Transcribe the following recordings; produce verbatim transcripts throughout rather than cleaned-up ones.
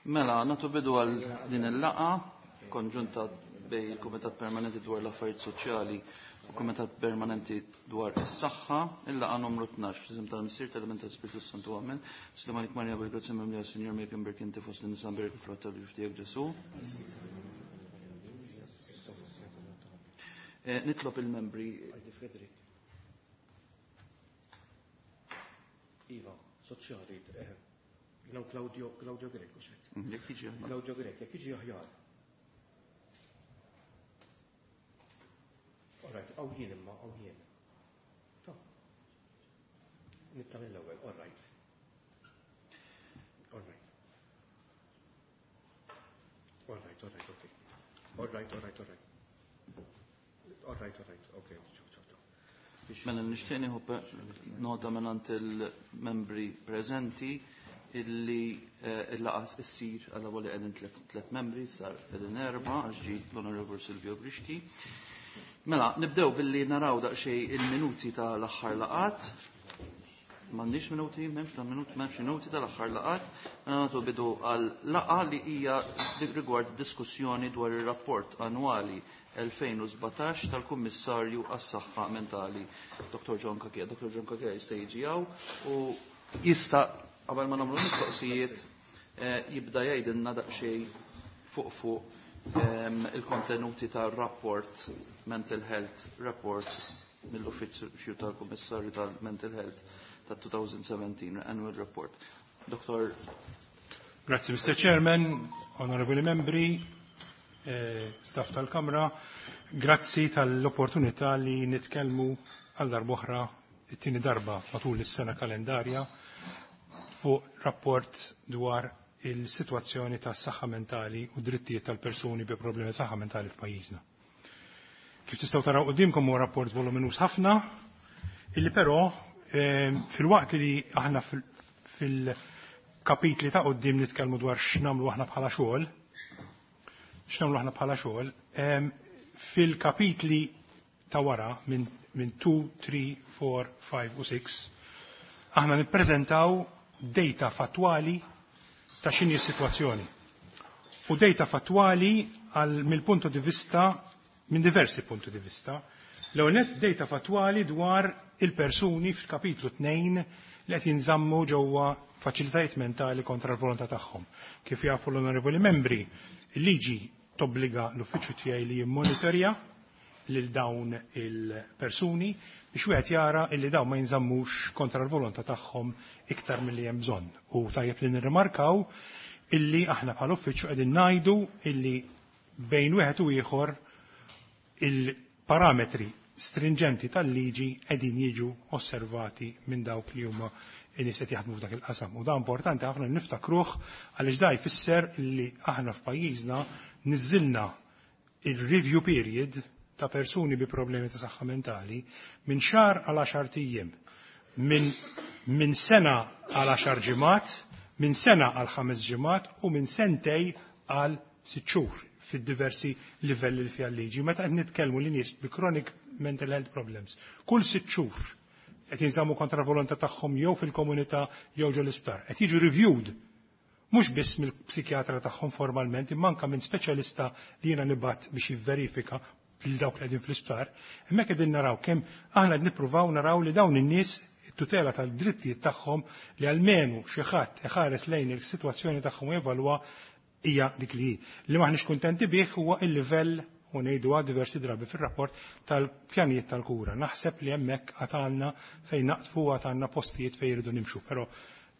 Mela, nagħtu bidu għal din il-laqgħa konġunta bejn il-Kumitat Permanenti dwar l-Affarijiet Soċjali u Kumitat Permanenti dwar is-Saħħa, il-laqgħa numru tnax f'isem tal-Missier tal-Iben tal-Spiritu Santu Amen. Sliem għalik Marija bil-grazzja mimlija Sinjur miegħek imbierka inti fost in-nisa mbierek il-frott tal-ġuf tiegħek Ġesù. Eh, nitlob il-membri. Iva, soċjali, eh, jien Claudio, Claudio Grech, mhux hekk. Mm, jekk jiġi aħjar. Claudio Grech, jekk jiġi aħjar. All right, għaw jien imma, għaw jien. Ta. Nitla mill-ewwel, all right. All right. All right, all right, okay. All right, all right, all right. All right, all right, okay, ciao, ciao, ciao. Mela nixtieq nieħu nota mingħand il-membri preżenti illi eh, il-laqgħa ssir għal li qegħdin tliet membri, sar qegħdin erba' għax ġie l-Onorevole Silvio Grixti. Mela, nibdew billi naraw daqsxejn il-minuti tal-aħħar laqgħat. M'għandix minuti, m'hemmx ta' minut, m'hemmx minuti tal-aħħar laqgħat. Mela nagħtu bidu għal laqgħa li hija rigward diskussjoni dwar ir-rapport annwali elfejn u sbatax tal-Kummissarju għas-Saħħa Mentali, Doktor John Cachia. Doktor John Cachia jista' jiġi hawn u jista' qabel ma nagħmlu mistoqsijiet, eh, jibda jgħidilna daqsxejn fuq fuq, ehm, il-kontenuti tar-rapport Mental Health Report mill-Uffiċċju tal-Kummissarju tal-Mental Health ta' twenty seventeen Annual Report. Doktor. Grazie, Mister Chairman, onorevoli membri, eh, staff tal-Kamra, grazzi tal-opportunità li nitkellmu għal darb'oħra it-tieni darba matul is-sena kalendarja fuq rapport dwar il-sitwazzjoni tas-saħħa mentali u drittijiet tal-persuni bi problemi saħħa mentali f'pajjiżna. Kif tistgħu taraw qudiemkom huwa rapport voluminus ħafna, illi però, eh, fil-waqt li aħna fil-, fil-kapitli ta' quddiem nitkellmu dwar x'nagħmlu aħna bħala xogħol, x'nagħmlu aħna bħala xogħol, ehm, fil-kapitli ta' wara minn, minn two, three, four, five u six, aħna nippreżentaw data fattwali ta' x'inhi s-sitwazzjoni. U data fattwali għal mill-punto di vista, minn diversi punti di vista. L-ewwel nett data fattwali dwar il-persuni fil-kapitlu tnejn li qed jinżammu ġewwa faċilitajiet mentali kontra l-volontà tagħhom. Kif jafu l-onorevoli membri, il-liġi tobbliga l-uffiċċju tiegħi li jimmonitorja lil dawn il-persuni biex wieħed jara illi dawn ma jinżammux kontra l-volontà tagħhom iktar milli hemm bżonn. U tajjeb li nirrimarkaw illi aħna bħala uffiċċju qegħdin ngħidu illi bejn wieħed u ieħor il-parametri stringenti tal-liġi qegħdin jiġu osservati minn dawk li huma in-nies qed jaħdmu f'dak il-qasam. U da importanti ħafna li niftakruh għaliex da jfisser li aħna f'pajjiżna niżilna il-review period ta' persuni bi problemi ta' saħħa mentali minn xahar għal għaxar ijiem, minn, minn sena għal għaxar ġimgħat, minn sena għal ħames ġimgħat u minn sentej għal sitt xhur fid-diversi livelli li fiha l-liġi. Meta qed nitkellmu li nies bi chronic mental health problems, kull sitt xhur qed jinżammu kontra volontà tagħhom jew fil-komunità jew ġo l-isptar. Qed jiġu reviewed mhux biss mill-psikjatra tagħhom formalment, imma anke minn speċjalista li jiena nibgħat biex jivverifika lil dawk li qegħdin fl-isptar. Hemmhekk qegħdin naraw kemm aħna qed nippruvaw naraw li dawn in-nies it-tutela tal-drittijiet tagħhom li almenu xi ħadd iħares lejn is-sitwazzjoni tagħhom u jevalwa hija dik li hi. Li m'aħniex kuntenti bih huwa il-livell u ngħiduha diversi drabi fir-rapport tal-pjanijiet tal-kura. Naħseb li hemmhekk għad għandna fejn naqtfu għad għandna postijiet fejn jridu nimxu, però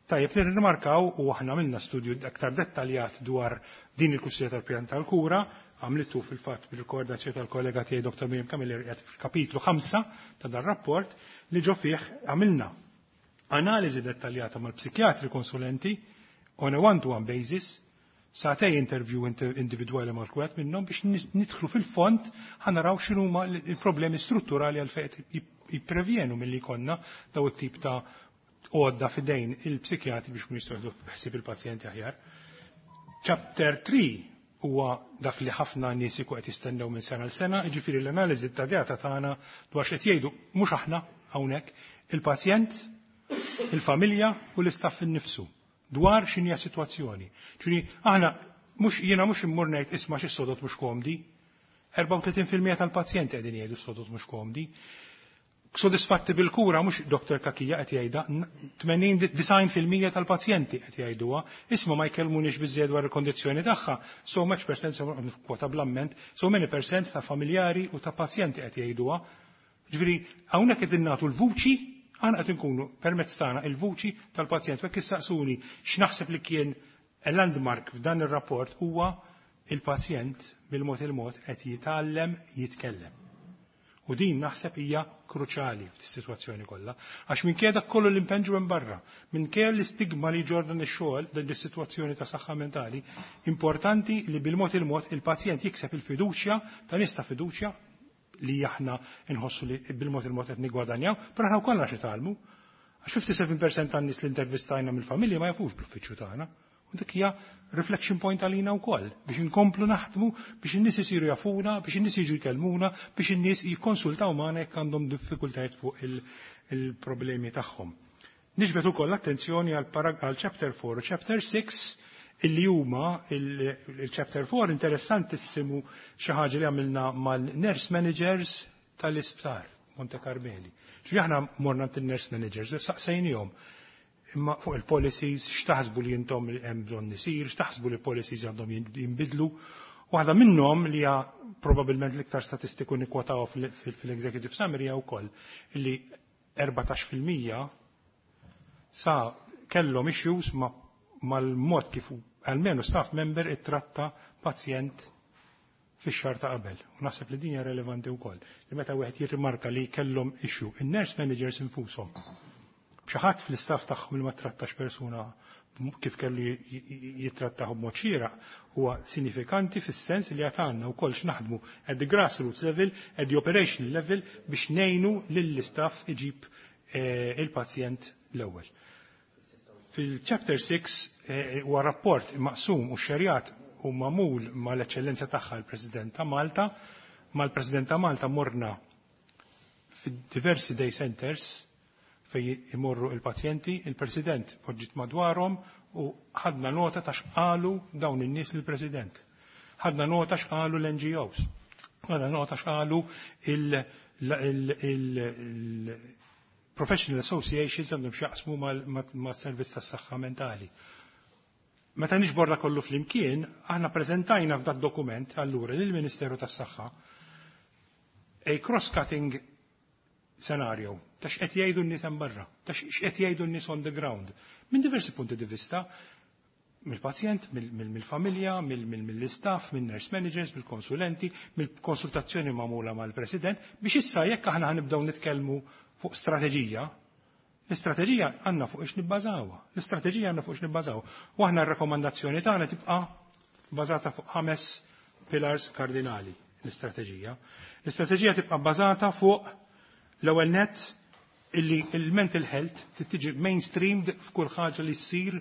tajjeb li nirrimarkaw u aħna għamilna studju aktar dettaljat dwar din il-kwistjoni tal-pjan tal-kura, għamlitu fil-fatt bil-koordinazzjoni tal-kollega tiegħi Doktor Miriam Camilleri qiegħed fil-kapitlu ħamsa ta' dan rapport li ġo fih għamilna analiżi dettaljata mal-psikjatri konsulenti on a one-to-one basis, sagħtej interview inter-, individwali mal-kwet minnhom biex nis-, nidħlu fil-fond ħa naraw x'inhuma l-, il-problemi strutturali għal fejn qed jip-, jipprevjenu milli jkollna daw it-tip ta' għodda fidejn il-psikjatri biex kun jistgħu jieħdu ħsieb il-pazjenti aħjar. Chapter three huwa dak li ħafna nies ikun qed jistennew minn sena l sena, jiġifieri l-analiżi ta' data tagħna dwar x'qed jgħidu mhux aħna hawnhekk, il-pazjent, il-familja u l-istaff innifsu dwar x'inhi sitwazzjoni. Ġifieri aħna mhux jiena mhux immur ngħid isma' xi sodod mhux komdi. erbgħa u tletin fil-mija tal-pazjenti qegħdin jgħidu sodod mhux komdi. Sodisfatti bil-kura mhux Doktor Cachia qed jgħidha, tmenin fil-mija tal-pazjenti qed jgħiduha, isma' ma jkellmunix biżejjed dwar il-kondizzjoni tagħha, so much percent, kwota bl-amment, so many percent ta' familjari u ta' pazjenti qed jgħiduha. Ġifieri hawnhekk qegħdin nagħtu l-vuċi, aħna qed inkunu permezz tagħna il-vuċi tal-pazjent. Jekk issaqsuni x'naħseb li kien landmark f'dan ir-rapport, huwa il-pazjent bil-mod il-mod qed jitgħallem jitkellem. U din naħseb hija kruċali f'dis-sitwazzjoni kollha. Għax minkejja dak kollu li npenġu minn barra, minkejja l-istigma li ġorna ix-xogħol din is-sitwazzjoni ta' saħħa mentali, importanti li bil-mod il-mod il-pazjent jikseb il-fiduċja ta' nies ta' fiduċja li aħna nħossu li bil-mod il-mod qed nigwadanjaw, però aħna wkoll xi tgħallmu. Għax ħamsa u sebgħin fil-mija tan-nies li intervistajna mill-familja ma jafux bl-uffiċċju tagħna. U dik hija reflection point għalina wkoll biex inkomplu naħdmu biex in-nies isiru jafuna, biex in-nies jiġu jkellmuna, biex in-nies jikkonsultaw magħna jekk għandhom diffikultajiet fuq il-problemi tagħhom. Niġbed ukoll l-attenzjoni għal chapter four u chapter six, illi huma il-chapter four interessantissimu, xi ħaġa li għamilna mal-nurse managers tal-isptar Monte Carmeli. Ġifieri aħna morna nurse managers, saqsejnihom imma fuq il-policies, x'taħsbu li intom li hemm bżonn isir, x'taħsbu li policies għandhom jinbidlu. Waħda minnhom li hija probabbilment l-iktar statistiku nikwotaw fil-executive summary hija wkoll li erbatax fil-mija sa kellhom issues mal-mod kif almenu staff member ittratta pazjent fix-xahar ta' qabel. U naħseb li din hija relevanti wkoll. Li meta wieħed jirrimarka li kellhom issue, in-nurse managers infushom, xi ħadd fl-istaff tagħhom li ma trattax persuna kif kellu jittrattaħu b'mod xieraq, huwa sinifikanti fis-sens li għatanna wkoll x'naħdmu at the grassroots level, at the operational level, biex ngħinu lill-istaff iġib eh, il-pazjent l-ewwel. Fil-chapter six eh, huwa rapport maqsum u xerjat u magħmul mal-eċċellenza tagħha l-President ta' Malta. Mal-President ta' Malta morna fid-diversi day centers fej imorru il-pazjenti, il-President poġġit madwarhom u ħadna nota ta' xqalu dawn in-nies lill-President. Ħadna nota xqalu l-N G Os. Ħadna nota xqalu il-professional associations għandhom x'jaqsmu mas-servizz tas-saħħa mentali. Meta niġbor kollu flimkien, aħna preżentajna f'dak dokument allura lill-Ministeru tas-Saħħa a cross-cutting scenario ta' x'qed jgħidu n-nies hemm barra, ta' x'qed jgħidu n-nies on the ground. Minn diversi punti di vista, mill-pazjent, mill-familja, mill-istaff, mill-nurse managers, mill-konsulenti, mill-konsultazzjoni magħmula mal-President, biex issa jekk aħna ħanibdew nitkellmu fuq strateġija, l-istrateġija għandna fuq ix nibbażawha. L-istrateġija għandna fuq ix nibbażawha. U aħna r-rakkomandazzjoni tagħna tibqa' bażata fuq ħames pillars kardinali l-istrateġija. L-istrateġija tibqa' bażata fuq l-ewwel net illi il-mental health tiġi mainstreamed f'kull ħaġa li ssir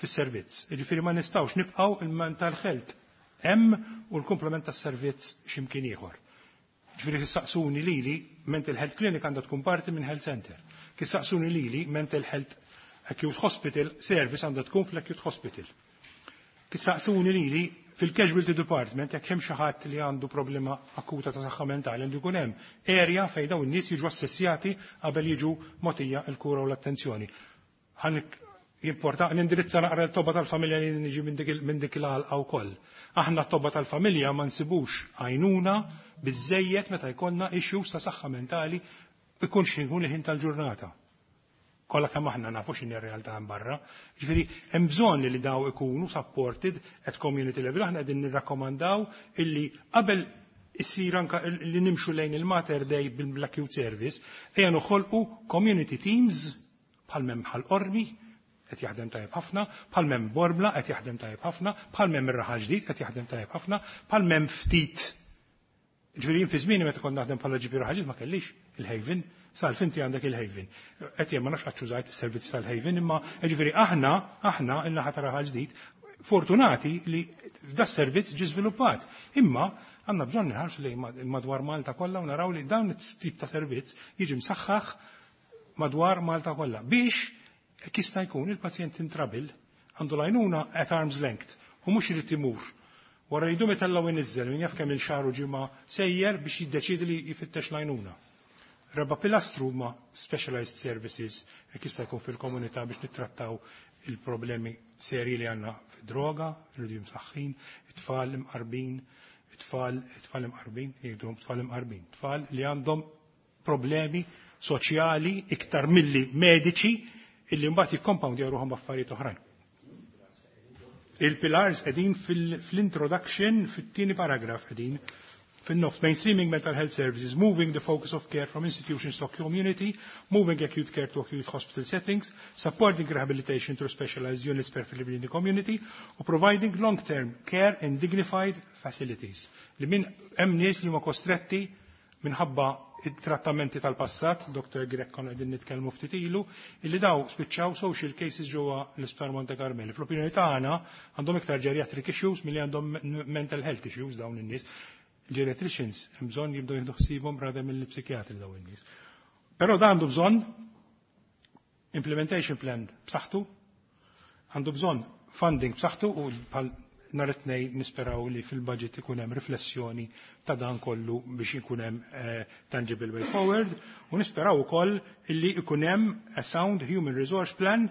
fis-servizz. Jiġifieri ma nistgħux nibqgħu il-mental health hemm u l-komplement tas-servizz x'imkien ieħor. Ġifieri kissaqsuni lili, mental health clinic għandha tkun parti minn health center. Kissaqsuni lili, mental health acute hospital service għandha tkun fl-acute hospital. Kissaqsuni lili, fil-casualty department, jekk hemm xi ħadd li għandu problema akuta ta' saħħa mentali, għandu jkun hemm area fejn dawn in-nies jiġu assessjati qabel jiġu mogħtija l-kura u l-attenzjoni. Jimporta nindirizza naqra l-tobba tal-familja li niġi minn dik il-għalqa wkoll. Aħna t-tobba tal-familja ma nsibux għajnuna biżejjed meta jkollna issues ta' saħħa mentali, ikun x'ikun il-ħin tal-ġurnata. Kollha kemm aħna nafu x'inhi r-realtà hemm barra. Ġifieri hemm bżonn li daw ikunu supported at community level. Aħna qegħdin nirrakkomandaw illi qabel issir anka li nimxu lejn il-Mater Dei bil-acute service, ejja noħolqu community teams bħal m'hemm Ħal Qormi, qed jaħdem tajjeb ħafna, bħal m'hemm Bormla, qed jaħdem tajjeb ħafna, bħal m'hemm ir-Raħal Ġdid, qed jaħdem tajjeb ħafna, bħal m'hemm ftit. Ġifieri fi żmieni meta kont naħdem bħala G P Raħal Ġdid ma kellix il-Haven, sal finti għandek il-Haven. Qed jien ma nafx qatt użajt is-servizz tal-Haven, imma ġifieri aħna aħna il-naħa ta' Raħal Ġdid fortunati li da servizz ġi żviluppat. Imma għandna bżonn nħarsu lejn madwar Malta kollha u naraw li dawn it-tip ta' servizz jiġi msaħħaħ madwar Malta kollha biex jista' jkun il-pazjent in trouble Għandu l-għajnuna at arm's length u mhux irid imur. Wara jdu itella' u jniżżel, min jaf kemm il-xahar u ġimgħa sejjer biex jiddeċidi li jfittex l-għajnuna. Raba' pilastru huma specialized services jekk jista' jkun fil-komunità biex nittrattaw il-problemi serji li għandna fid-droga, irridu msaħħin, it-tfal imqarbin, it-tfal, it-tfal imqarbin, jgħidulhom tfal imqarbin, tfal li għandhom problemi soċjali iktar milli mediċi illi mbagħad jikkompound ruħhom affarijiet oħrajn. Il-pillars qegħdin fil-introduction fit-tieni paragraf, qegħdin fin-nofs: mainstreaming mental health services, moving the focus of care from institutions to community, moving acute care to acute hospital settings, supporting rehabilitation through specialized units, preferably in the community, u providing long-term care in dignified facilities. Li min hemm nies li huma kostretti minħabba it-trattamenti tal-passat, Doktor Grech, konna qegħdin nitkellmu ftit ilu, illi daw spiċċaw social cases ġewwa l-Isptar Monte Carmeli. Fl-opinjoni tagħna għandhom iktar geriatric issues milli għandhom mental health issues dawn in-nies. Geriatricians hemm bżonn jibdew jieħdu ħsiebhom rather mill-psikjatri dawn in-nies. Però dan għandu bżonn implementation plan b'saħħtu, għandu bżonn funding b'saħħtu u bħal nhar it-Tnejn nisperaw li fil-budget ikun hemm riflessjoni ta' dan kollu biex ikun hemm eh, tangible way forward u nisperaw ukoll illi ikun hemm a sound human resource plan.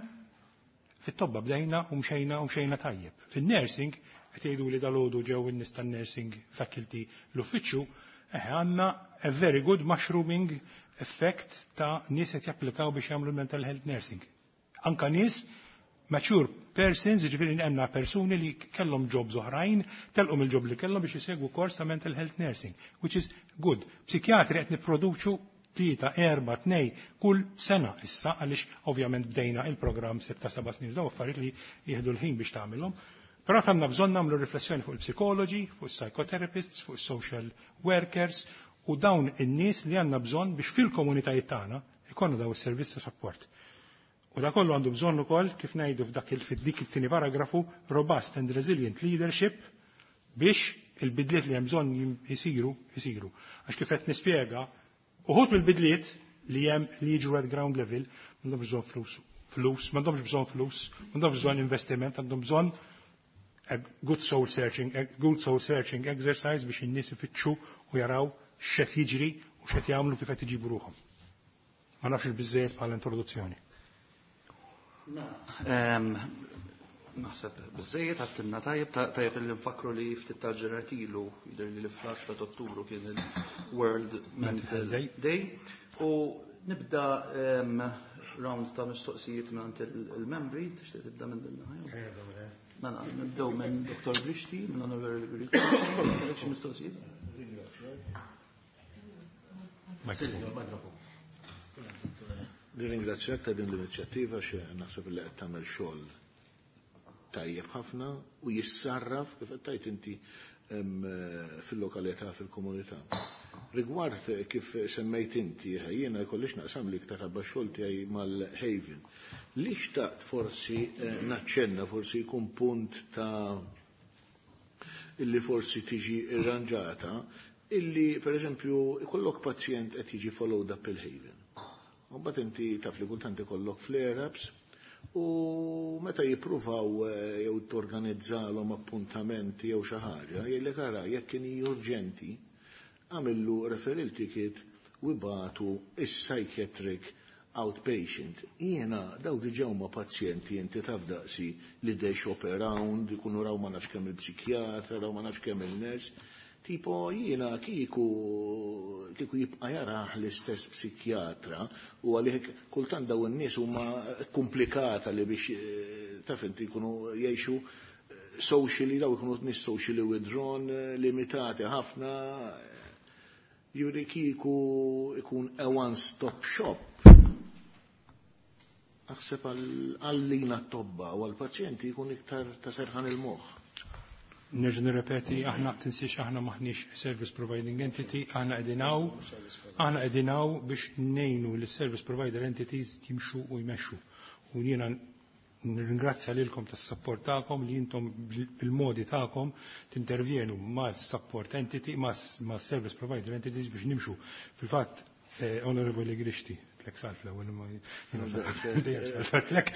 Fit-tobba bdejna u mxejna u mxejna tajjeb. Fin-nursing qed jgħidu li dalgħodu ġew in-nies tan-nursing faculty l-uffiċċju, eh, għandna a very good mushrooming effect ta' nies qed japplikaw biex jagħmlu mental health nursing. Anka nies mature persons, ġifieri għandna persuni li kellhom jobs oħrajn, telqu mill-job li kellhom biex jisegwu kors ta' mental health nursing, which is good. Psikjatri qed nipproduċu tlieta, erba', tnej kull sena issa, għaliex ovvjament bdejna il-programm sitta seba' snin, daw affarijiet li jieħdu l-ħin biex tagħmilhom. Però għandna bżonn nagħmlu riflessjoni fuq il-psikologi, fuq il-psychotherapists, fuq il-social workers u dawn in-nies li għandna bżonn biex fil-komunitajiet tagħna ikollna daw is-servizz ta' support. U da kollu għandu bżonn ukoll, kif ngħidu f'dak il-dik it-tieni paragrafu, robust and resilient leadership biex il-bidliet li hemm bżonn jisiru, jisiru. Għax kif qed nispjega, uħud mill-bidliet li hemm li jiġu at ground level m'għandhomx bżonn flus, flus, m'għandhomx bżonn flus, m'għandhomx bżonn investiment, għandhom bżonn a good soul searching, a good soul searching exercise biex in-nies ifittxu u jaraw x'qed jiġri u x'qed jagħmlu, kif qed iġibu ruħhom. Ma nafx biżejjed bħala introduzzjoni. Naħseb biżejjed għattilna tajjeb, tajjeb li nfakru li ftit tal-ġranet ilu, jidher li fl-għaxra ta' Ottubru kien il-World Mental Day. U nibda round ta' mistoqsijiet minn il-membri, tixtieq tibda minn din? Mela, nibdew minn Doktor Grixti, minn Onorevoli Grixti, xi mistoqsijiet? Mikrofon. Nirringrazzjak ta' din l-inizjattiva, xe naħseb li qed tagħmel xogħol tajjeb ħafna u jissarraf kif qed tgħid inti fil-lokalità, fil-komunità. Rigward kif semmejt inti, jiena jkollix naqsam li iktar ħabba xogħol tiegħi mal-Haven. Li xtaqt forsi eh, naċċenna, forsi jkun punt ta' illi forsi tiġi irranġata, illi per eżempju ikollok pazjent qed jiġi followed up il-Haven. U mbagħad inti taf li kultant ikollok flare-ups u meta jippruvaw eh, jew torganizzalhom appuntamenti jew xi ħaġa, jgħidlek, ara, jekk kien urġenti, għamillu referral ticket u ibagħtu is-psychiatric outpatient. Jiena daw diġà huma pazjenti, inti taf daqsi li they shop around, ikunu raw ma nafx kemm il-psikjatra, raw ma nafx kemm il-nurse. Tipo jiena kieku kieku jibqa' jarah l-istess psikjatra u għalih kultant daw in-nies huma komplikata li biex eh, taf inti jkunu jgħixu eh, socially, daw ikunu nies socially withdrawn, eh, limitati ħafna. Jiġifieri kieku ikun a one-stop shop. Aħseb għallina t-tobba u għal-pazjenti jkun iktar ta' serħan il-moħħ. Nerġa' nirrepeti, aħna tinsiex aħna maħniex service providing entity, aħna qegħdin hawn, aħna qegħdin hawn biex ngħinu lis service provider entities jimxu u jmexxu. U jiena nirringrazzja lilkom tas-support tagħkom li intom bil-modi tagħkom tintervjenu ma' support entity, ma' service provider entities biex nimxu. Fil-fatt, eh, Onorevoli Grixti, Għedtlek Salv l-ewwel, imma dejjem Salv għedtlek.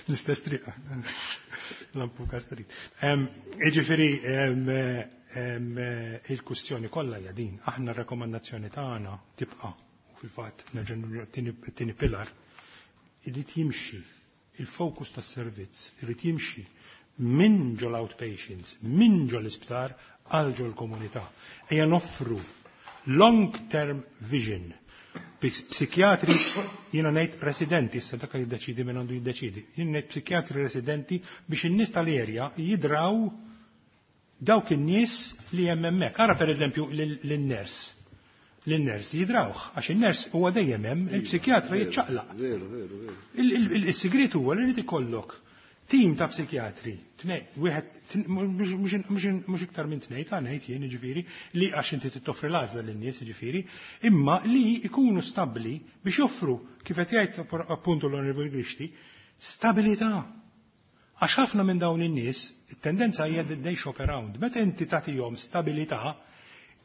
L-istess triq. Lampuka Street. Jiġifieri il-kustjoni kollha hija din. Aħna r-rakkomandazzjoni tagħna tibqa' u fil-fatt nerġa' it-tieni pillar irid jimxi il-fokus tas-servizz, irid jimxi minn ġol outpatients, minn ġol isptar għal ġol komunità. Ejja noffru long term vision. Psikjatri, jiena ngħid residenti, issa dak jiddeċidi minn għandu jiddeċidi. Jiena ngħid psikjatri residenti biex in-nies tal-erja jidraw dawk in-nies li hemm hemmhekk. Ara, pereżempju, lin-ners. Lin-ners jidrawh, għax in-ners huwa dejjem hemm, il-psikjatra jiċċaqlaq. Veru, veru, veru. Il-sigriet huwa li rid ikollok tim ta' psikjatri, wieħed, mhux iktar minn tnejn ta' ngħid jien, jiġifieri, li għax inti toffri l-għażla lin-nies, jiġifieri, imma li jkunu stabbli biex joffru, kif qed jgħid appuntu l-Onorevoli Grixti, stabilità. Għax ħafna minn dawn in-nies, it-tendenza hija they shop around. Meta inti tagħtihom stabilità,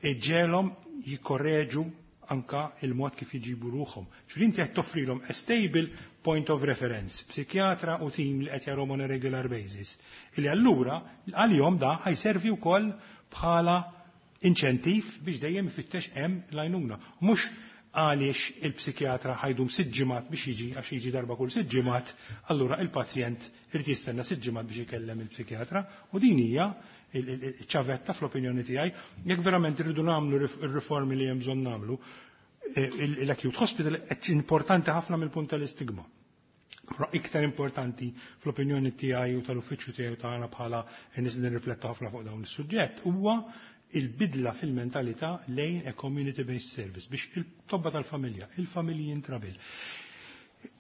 iġġegħelhom jikkorreġu anka il-mod kif jġibu ruħhom. Ġifieri inti qed toffrilhom a stable point of reference, psikjatra u team li qed jarahom on a regular basis. Illi allura għalihom da ħa jservi wkoll bħala inċentiv biex dejjem ifittex hemm l-għajnuna. Mhux għaliex il-psikjatra ħa jdum sitt ġimgħat biex jiġi, għax jiġi darba kull sitt ġimgħat, allura il-pazjent irid jistenna sitt ġimgħat biex ikellem il-psikjatra, u din hija iċ-ċavetta fl-opinjoni tiegħi jekk verament irridu nagħmlu r-riformi li hemm bżonn nagħmlu. L-acute hospital importanti ħafna mill-punt tal-istigma. Però iktar importanti fl-opinjoni tiegħi u tal-uffiċċju tiegħi tagħna bħala nies li nirrifletta ħafna fuq dawn is-suġġett huwa il-bidla fil-mentalità lejn a community-based service biex il-tobba tal-familja, il-familji in trouble,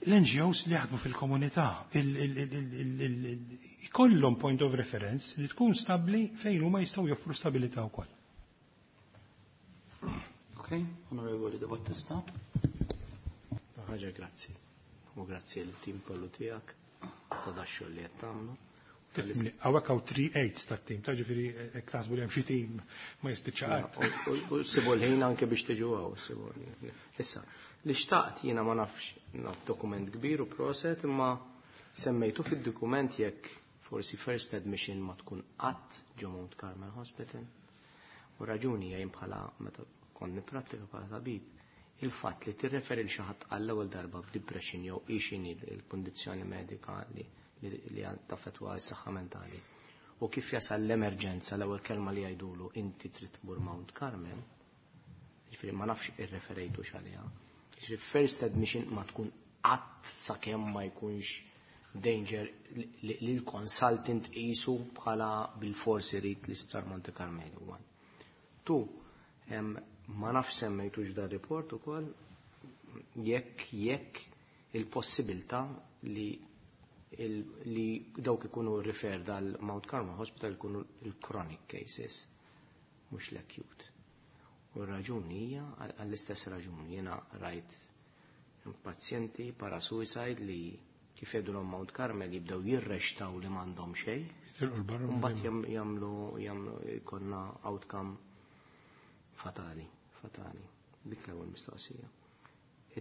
l-N G Os li jaħdmu fil-komunità, ikollhom point of reference li tkun stabli fejn huma jistgħu joffru stabilità wkoll. Ok, Onorevoli De Battista. Ħaġa, grazzi. U grazzi l-tim kollu tiegħek ta' dax-xogħol li qed tagħmlu. Hawnhekk hawn three eights tat-tim, ta' ġifieri hekk taħsbu li hemm xi tim ma jispiċċa qatt. U sibu l-ħin anke biex tiġu hawn, sibu. Issa, li xtaqt jiena, ma nafx, naf dokument kbir u proset, imma semmejtu fid-dokument jekk forsi first admission ma tkun qatt ġo Mount Carmel Hospital. U raġuni jgħin bħala meta kont niprattika bħala tabib, il-fatt li tirreferi l xi ħadd għall-ewwel darba b'depression jew x'inhi l-kundizzjoni medika li li taffetwa s-saħħa mentali. U kif jasal l-emerġenza, l-ewwel kelma li jgħidulu inti trid tmur Mount Carmel, ġifieri ma nafx irreferejtu x'għaliha. Ġifieri first admission ma tkun qatt sakemm ma jkunx danger li l-consultant qisu bħala bil-forsi irid l-isptar Monte Carmelo. One. Tu, ma nafx semmejtux dar report ukoll jekk jekk il-possibilità li li dawk ikunu refer dal Mount Carmel Hospital ikunu il-chronic cases, mhux l-acute. U r-raġuni hija għall-istess raġuni. Jiena rajt pazjenti para-suicide li kif jgħidu Mount Carmel jibdew jirrextaw li m'għandhom xejn. Mbagħad jagħmlu jagħmlu jkollna outcome fatali, fatali. Dik l-ewwel mistoqsija.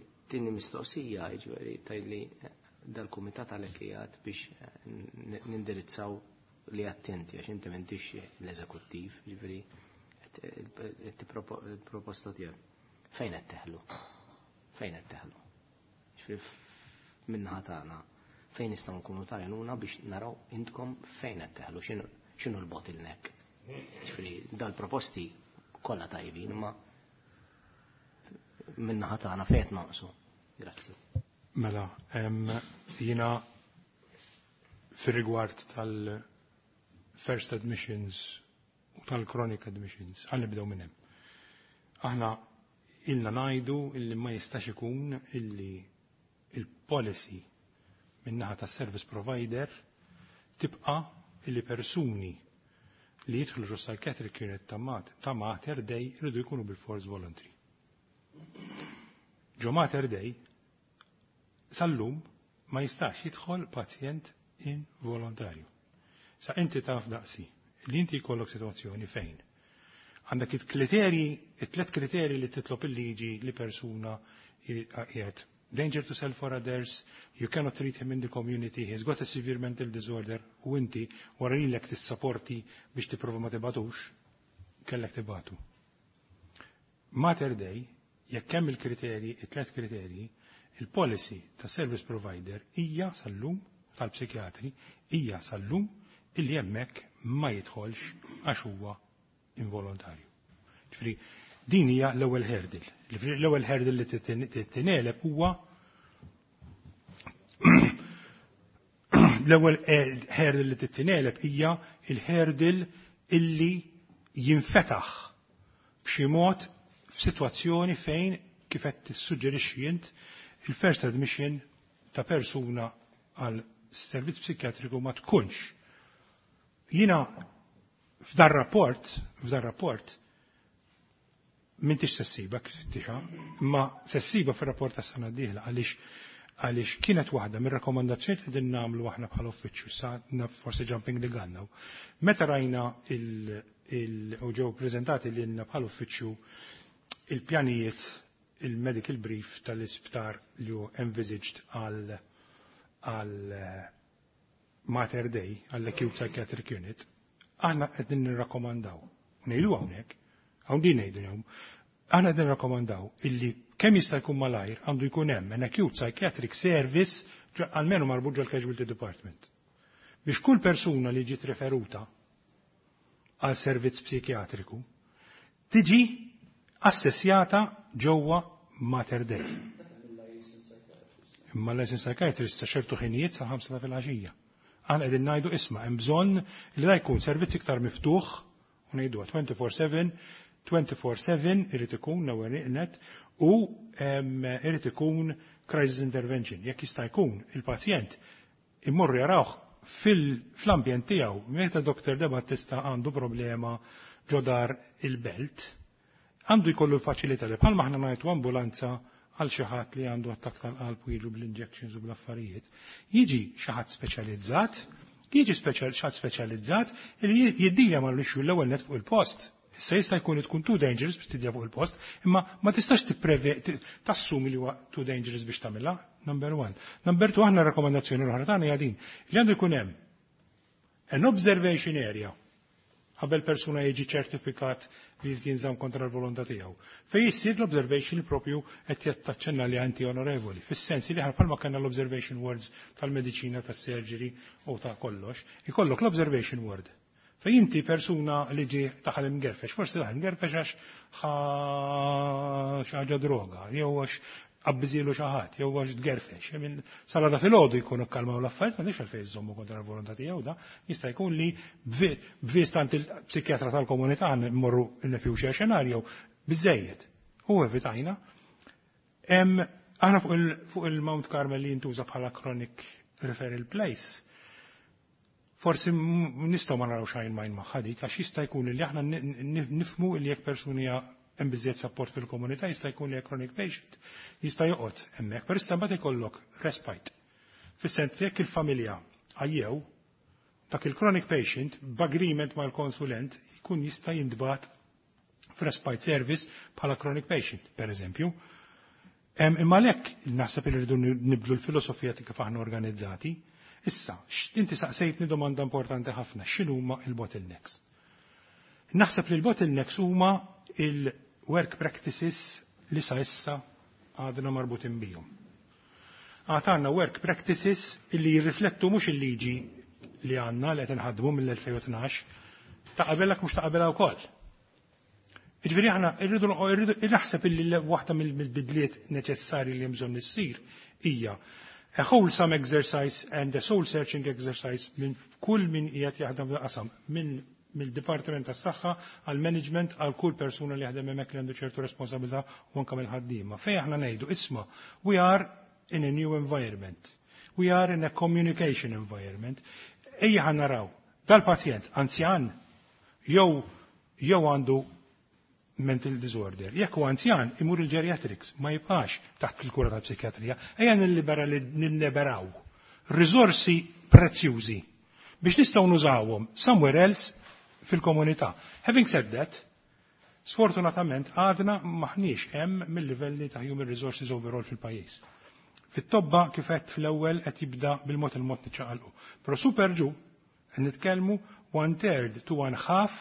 It-tieni mistoqsija, jiġifieri tgħidli dal-kumitat għalhekk qiegħed biex nindirizzaw li attenti għax inti m'intix l-eżekuttiv, jiġifieri il-proposta tiegħek. Fejn qed teħlu? Fejn qed teħlu? Jiġifieri min-naħa tagħna fejn nistgħu nkunu tajnuna biex naraw intkom fejn qed teħlu, x'inhu l-bottleneck? Jiġifieri dal-proposti kollha tajbin, imma min-naħa tagħna fejn qed naqsu. Grazzi. Mela, jiena fir-rigward tal-first admissions u tal-chronic admissions, għal nibdew minn hemm. Aħna ilna ngħidu illi ma jistax ikun illi il-policy min-naħa tas service provider tibqa illi persuni li jidħlu ġo psychiatric unit ta' Mater Dei jridu jkunu bil-force voluntary. Ġo Mater Dei sal-lum ma jistax jidħol pazjent involontarju. Sa inti taf daqsi li inti jkollok situazzjoni fejn għandek il-kriterji, it-tlet kriterji li titlob il-liġi li persuna Qiegħed danger to self or others, you cannot treat him in the community, he's got a severe mental disorder, u inti wara lilek tissapporti biex tipprova ma tibagħtux, kellek tibagħtu. Mater Dei, jekk hemm il-kriterji, it-tlet kriterji, il-policy ta' service provider hija sal-lum tal-psikjatri hija sal-lum illi hemmhekk ma jidħolx għax huwa involontarju. Ġifieri din hija l-ewwel hurdle. L-ewwel hurdle li titingħeleb huwa l-ewwel hurdle li titingħeleb hija il-hurdle illi jinfetaħ b'xi mod f'sitwazzjoni fejn kif qed tissuġġerixxi int il-first admission ta' persuna għal servizz psikjatriku ma tkunx. Jiena f'dar rapport, f'dar rapport, m'intix se ssibha kif tixa, imma se ssibha fir-rapport tas-sena d-dieħla għaliex għaliex kienet waħda mir-rakkomandazzjoni li qegħdin nagħmlu aħna bħala uffiċċju sa forsi jumping the gun now. Meta rajna il, il u ġew preżentati lilna bħala uffiċċju il-pjanijiet, il-medical brief tal-isptar li hu envisaged għal għal Mater Dei, għall-Acute Psychiatric Unit, aħna qegħdin nirrakkomandaw. Ngħidu hawnhekk, hawn din ngħidu hawn, aħna qegħdin nirrakkomandaw illi kemm jista' jkun malajr għandu jkun hemm an acute psychiatric service almenu marbut ġol casualty department. Biex kull persuna li ġiet referuta għal servizz psikjatriku tiġi assessjata ġewwa Mater Dei. Imma l-licensed psychiatrist sa ċertu ħinijiet sa ħamsa ta' filgħaxija. Aħna qegħdin ngħidu, isma', hemm bżonn li da jkun servizz iktar miftuħ u ngħidu twenty-four seven, twenty-four seven irid ikun l-ewwel net u irid ikun crisis intervention. Jekk jista' jkun il-pazjent immorru jarawh fil-ambjent tiegħu. Meta Doctor De Battista għandu problema ġo dar il-Belt, għandu jkollu l-faċilità li bħalma aħna ngħidu ambulanza għal xi ħadd li għandu attak tal-qalb u jiġu bl-injections u bl-affarijiet. Jiġi xi ħadd speċjalizzat, jiġi xi ħadd speċjalizzat li jiddilja mal-issue l-ewwel net fuq il-post. Issa jista' jkun tkun too dangerous biex tidja fuq il-post, imma ma tistax tassumi li huwa too dangerous biex tagħmilha, number one. Number two, aħna rakkomandazzjoni l-oħra tagħna hija din, li għandu jkun hemm an observation area qabel persuna jiġi ċertifikat li jrid jinżamm kontra l-volontà tiegħu. Fej jissir l-observation propju qed jattaċċenna li anti onorevoli, fis-sens li aħna bħalma kellna l-observation wards tal-mediċina, tas-surgery u ta' kollox, ikollok l-observation ward. Fej inti persuna li ġi daħal imgerfex, forsi daħal imgerfex għax xi ħaġa droga, jew għax qabbiżilu xi ħadd, jew għax tgerfex. Sal-għada filgħodu jkunu kkalmaw l-affarijiet, m'għandix għalfejn iżommu kontra l-volontà tiegħu da, jista' jkun li b'viżta għand il-psikjatra tal-komunità mmorru in future scenario biżejjed. U evitajna. Aħna fuq il-Mount Carmel li jintuża bħala chronic referral place, forsi nistgħu ma naraw xajn majn magħha dik, għax jista' jkun li aħna nifmu li jekk persuni hemm biżejjed support fil-komunità, jista' jkun li chronic patient jista' joqgħod hemmhekk, però issa mbagħad ikollok respite. Fis-sens jekk il-familja għajjew, dak il-chronic patient b'agreement mal-konsulent jkun jista' jintbagħat f'respite service bħala chronic patient, per eżempju. Imma lek naħseb li rridu nibdlu l-filosofija ta' kif aħna organizzati. Issa, inti saqsejtni domanda importanti ħafna, x'inhuma il-bottlenecks? Naħseb li l-bottlenecks huma il-work practices li sa issa għadna marbutin bihom. Għad għandna work practices illi jirriflettu mhux il-liġi li għandna li qed inħaddmu mill-elfejn u tnax, ta' qabelek mhux ta' qabelha wkoll. Ġifieri aħna irridu naħseb illi waħda mill-bidliet neċessarji li hemm bżonn issir hija a wholesome exercise and a soul searching exercise minn kull min qiegħed jaħdem qasam, minn mill-Dipartiment tas-Saħħa għal management, għal kull persuna li jaħdem hemmhekk li għandu ċertu responsabilità u anke mill-ħaddiema. Fejn aħna ngħidu, isma', we are in a new environment. We are in a communication environment. Ejja ħa naraw, dal-pazjent anzjan jew jew għandu mental disorder. Jekk huwa anzjan, imur il-geriatrics, ma jibqax taħt il-kura tal-psikjatrija. Ejja nilliberaw risorsi prezzjużi biex nistgħu nużawhom somewhere else fil-komunità. Having said that, Sfortunatament għadna maħniex hemm mill-livelli ta' human resources overall fil-pajjiż. Fit-tobba kif qed fl-ewwel qed jibda bil-mod il-mod niċċaqalqu. Però su per giù qed nitkellmu one third to one half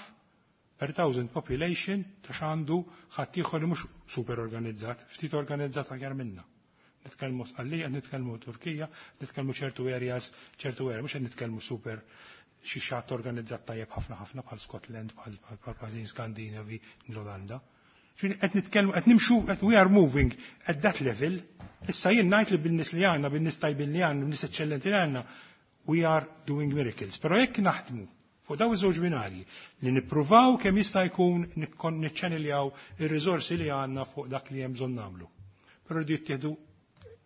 per thousand population ta' x'għandu ħaddieħor li mhux super organizzat, ftit organizzat aħjar minna. Nitkellmu Sqallija, nitkellmu Turkija, nitkellmu ċertu areas, ċertu areas, mhux qed nitkellmu super xi xatt organizzat tajjeb ħafna ħafna bħal Scotland, bħal pajjiżi Skandinavi, l-Olanda. Qed nitkellmu qed nimxu qed we are moving at that level. Issa jien ngħid li bin-nies li għandna, bin-nies tajbin li għandna, bin-nies eċċellenti li għandna, we are doing miracles. Però jekk naħdmu fuq daw iż-żewġ binarji li nippruvaw kemm jista' jkun niċċaniljaw ir-riżorsi li għandna fuq dak li hemm bżonn nagħmlu. Però rridu jittieħdu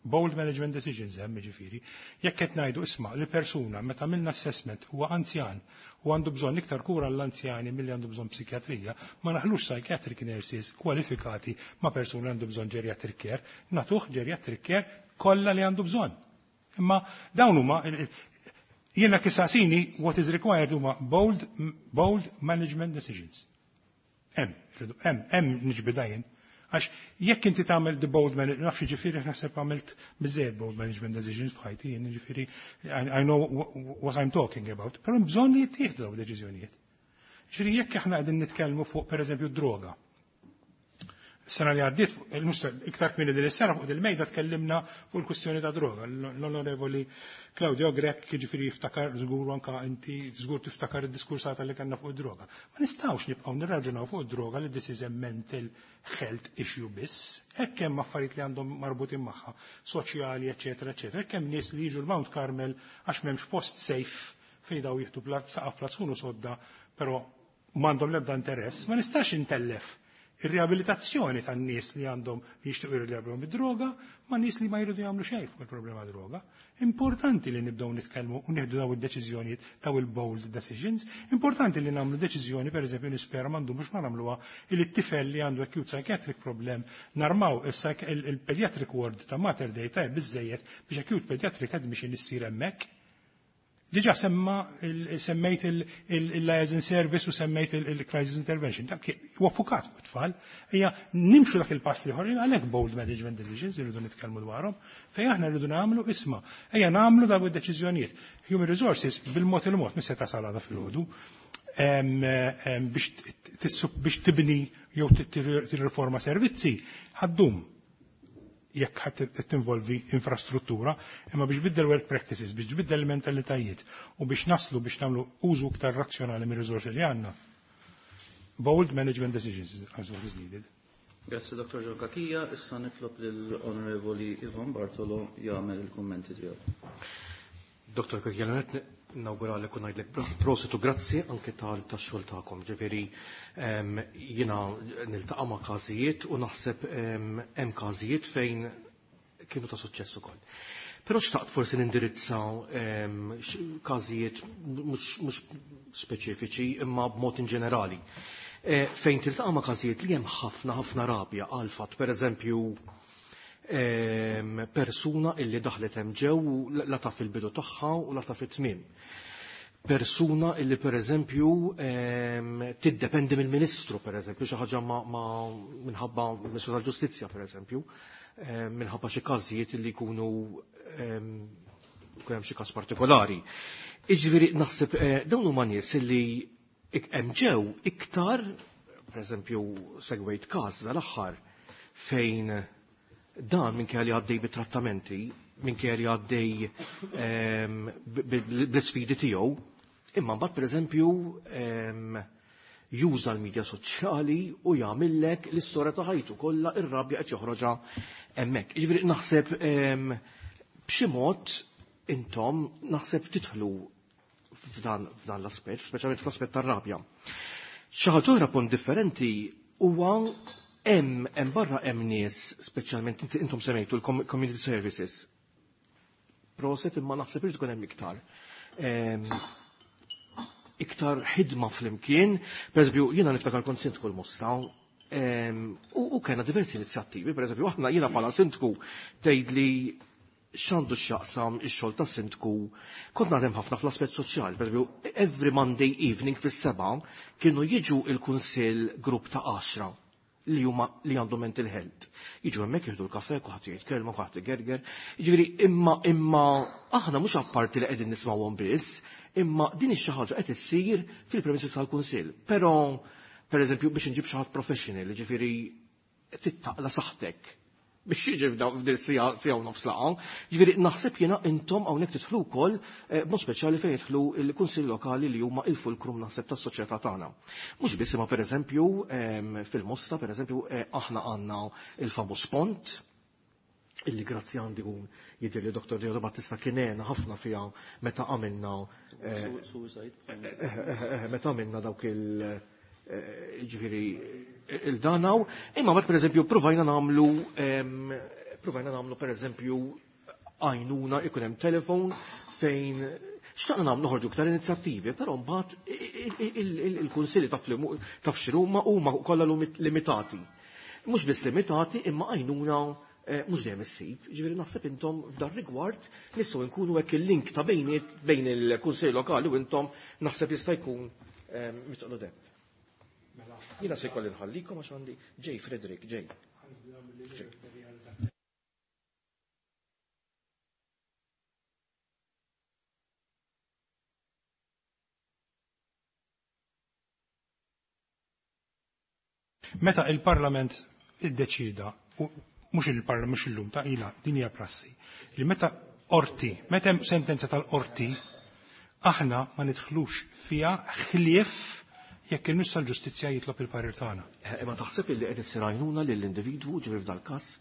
bold management decisions hemm ġifieri. Jekk qed ngħidu isma' li persuna meta għamilna assessment huwa anzjan u għandu bżonn iktar kura l-anzjani milli għandu bżonn psikjatrija, ma naħlux psychiatric nurses kwalifikati ma' persuna għandu bżonn geriatric care, nagħtuh geriatric care kollha li għandu bżonn. Imma dawn huma jiena kisasini what is required huma bold, bold management decisions. Hemm, hemm, hemm niġbida jien. Għax jekk inti tagħmel the bold management, nafx ġifieri naħseb għamilt biżejjed bold management decisions f'ħajti, jien ġifieri I know what I'm talking about, però bżonn li jittieħdu dawn deċiżjonijiet. Ġifieri jekk aħna qegħdin nitkellmu fuq pereżempju droga. Sena li għaddiet, iktar kmieni din is-sena fuq il-mejda tkellimna fuq il-kwistjoni ta' droga. L-Onorevoli Claudio Grech jiġifieri jiftakar żgur anka inti żgur tiftakar id-diskursata li kellna fuq id-droga. Ma nistgħux nibqgħu nirraġunaw fuq id-droga li this is a mental health issue biss. Hekk hemm affarijiet li għandhom marbutin magħha, soċjali, eċetera, eċetera. Hekk hemm nies li jiġu l-Mount Carmel għax m'hemmx post safe fejn daw jieħdu saqaf plazzun u sodda, però m'għandhom l-ebda interess, ma nistax intellef ir-riabilitazzjoni tan-nies li għandhom li jixtiequ jirriabilitaw bid-droga ma' nies li ma jridu jagħmlu xejn fuq il-problema droga. Importanti li nibdew nitkellmu u nieħdu daw id-deċiżjonijiet daw il-bold decisions. Importanti li nagħmlu deċiżjoni pereżempju nispera m'għandhom ma nagħmluha li t-tifel li għandu acute psychiatric problem narmaw il-pediatric ward ta' Mater Dei tajjeb biżejjed biex acute pediatric admission issir hemmhekk. Diġa semma semmejt il-liaison service u semmejt il-crisis intervention. Dak huwa fukat fuq tfal. Ejja nimxu dak il-pass li ħorġin għalhekk bold management decisions irridu nitkellmu dwarhom. Fejn aħna rridu nagħmlu isma' ejja nagħmlu dawn id-deċiżjonijiet. Human resources bil-mod il-mod mis se tasal għada filgħodu biex tibni jew tirriforma servizzi ħaddum jekk ħadd tinvolvi infrastruttura, imma biex biddel work practices, biex biddel mentalitajiet u biex naslu biex nagħmlu użu iktar razzjonali mir-riżorsi li għandna. Bold management decisions is what is needed. Grazie Dottor Joe Cachia, issa nitlob lill-Onorevoli Ivan Bartolo jagħmel il-kummenti tiegħu. Dottor Cachia, nawguralek u ngħidlek prosit u grazzi anke tal-xogħol tagħkom. Ġifieri jiena niltaqa' ma' każijiet u naħseb hemm każijiet fejn kienu ta' suċċess ukoll. Però xtaqt forsi nindirizza każijiet mhux speċifiċi imma b'mod in ġenerali. Fejn tiltaqa' ma' każijiet li hemm ħafna ħafna rabja għal fatt, pereżempju persuna illi daħlet hemm ġew la taf il-bidu tagħha u la taf it-tmiem. Persuna illi pereżempju tiddependi mill-Ministru pereżempju xi ħaġa ma minħabba Ministru tal-Ġustizzja pereżempju, minħabba xi każijiet illi jkunu jkun hemm xi każ partikolari. Jiġifieri naħseb dawn huma nies illi hemm ġew iktar, pereżempju segwejt każ dal-aħħar fejn dan minn kelli għaddej bit-trattamenti, minn kelli għaddej bl-sfidi tiegħu, imma mbagħad pereżempju juża l-medja soċjali u jagħmillek l-istorja ta' ħajtu kollha ir-rabja qed joħroġha hemmhekk. Jiġifieri naħseb b'xi mod intom naħseb tidħlu f'dan l-aspett, speċjalment fl-aspett tar-rabja. Xi ħaġa oħra punt differenti huwa hemm hemm barra hemm nies speċjalment intom semmejtu l-community services. Proset imma naħseb irid ikun hemm iktar. Iktar ħidma flimkien, pereżempju jiena niftakar kont sindku l-Mosta, u kellna diversi inizjattivi, pereżempju aħna jiena bħala sindku tgħidli x'għandu x'jaqsam ix-xogħol tas-sindku, kont naħdem ħafna fl-aspett soċjali, pereżempju every Monday evening fis-sebgħa kienu jiġu il-kunsill grupp ta' għaxra li huma li għandhom mental health. Jiġu hemmhekk jieħdu l-kafè, kulħadd jgħid kelma, kulħadd igerger. Jiġifieri imma imma aħna mhux apparti li qegħdin nismgħuhom biss, imma din ix xi ħaġa qed issir fil-premises tal-kunsill. Però pereżempju biex inġib xi ħadd professional, jiġifieri tittaqla saħħtek biex jiġi f'din siegħa u nofs laqgħa. Jiġifieri naħseb jiena intom hawnhekk tidħlu wkoll b'mod speċjali fejn jidħlu l-kunsill lokali li huma il-fulkrum naħseb tas-soċjetà tagħna. Mhux biss imma pereżempju fil-Mosta pereżempju aħna għandna il-famuż pont illi grazzi għandi un jidher li Doktor Diodo Battista kien għena ħafna fiha meta għamilna meta għamilna dawk il- ġifieri il-danaw, imma mbagħad pereżempju provajna nagħmlu provajna nagħmlu pereżempju għajnuna ikun hemm telefon fejn xtaqna nagħmlu noħorġu iktar inizjattivi, però mbagħad il-kunsilli taf x'huma huma kollha limitati. Mhux biss limitati imma għajnuna mhux dejjem issib. Ġifieri naħseb intom f'dan rigward nistgħu nkunu hekk il-link ta' bejniet bejn il-kunsill lokali u intom naħseb jista' jkun mitqlu deb. Jina se jkolli nħallikom għax għandi Ġej Frederick, Ġej. Meta il-Parlament iddeċida, u mhux il-Parlament mhux illum ta' ila din hija prassi, li meta qorti, meta hemm sentenza tal-qorti, aħna ma nidħlux fiha ħlief jekk il-Ministru tal-Ġustizzja jitlob il-parir tagħna. Imma taħseb illi qed issir għajnuna lill-individwu ġifieri f'dal-każ?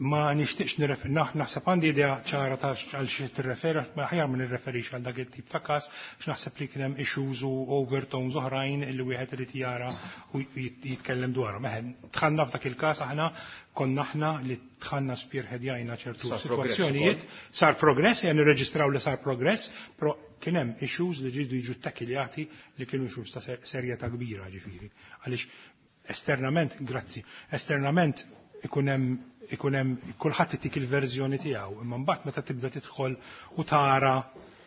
Ma nixtieqx nirreferi, naħseb għandi idea ċara ta' għal xi tirreferi, ma aħjar ma nirreferix għal dak it-tip ta' każ, x'naħseb li kien hemm issues u overtones oħrajn illi wieħed irid jara u jitkellem dwarhom. Eħe, dħalna f'dak il-każ aħna konna aħna li dħalna spearheadjajna ċertu sitwazzjonijiet, sar progress, jgħan nirreġistraw li sar progress, però kien hemm issues li ġidu jiġu takiljati li kienu issues ta' serjetà kbira ġifieri. Għaliex esternament, grazzi, esternament ikun hemm ikun hemm kulħadd itik il-verżjoni tiegħu, imma mbagħad meta tibda tidħol u tara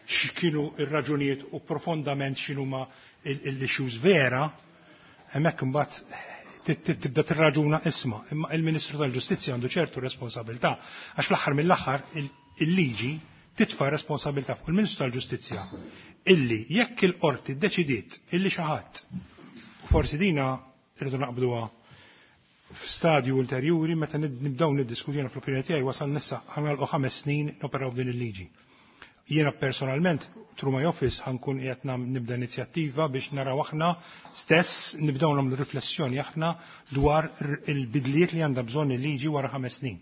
x'kienu r-raġunijiet u profondament x'inhuma l-issues vera, hemmhekk imbagħad tibda tirraġuna isma', imma il-Ministru tal-Ġustizzja għandu ċertu responsabilità għax fl-aħħar mill-aħħar il-liġi titfa' responsabilità fuq il-Ministru tal-Ġustizzja illi jekk il-qorti ddeċidiet illi xi ħadd, u forsi dina rridu naqbduha f'stadju ulterjuri meta nibdew niddiskuti jiena fl-opinjoni tiegħi wasal nissa ħanalqu ħames snin noperaw b'din il-liġi. Jiena personalment through my office ħankun qiegħed nibda inizjattiva biex naraw aħna stess nibdew nagħmlu riflessjoni aħna dwar il-bidliet li għandha bżonn il-liġi wara ħames snin.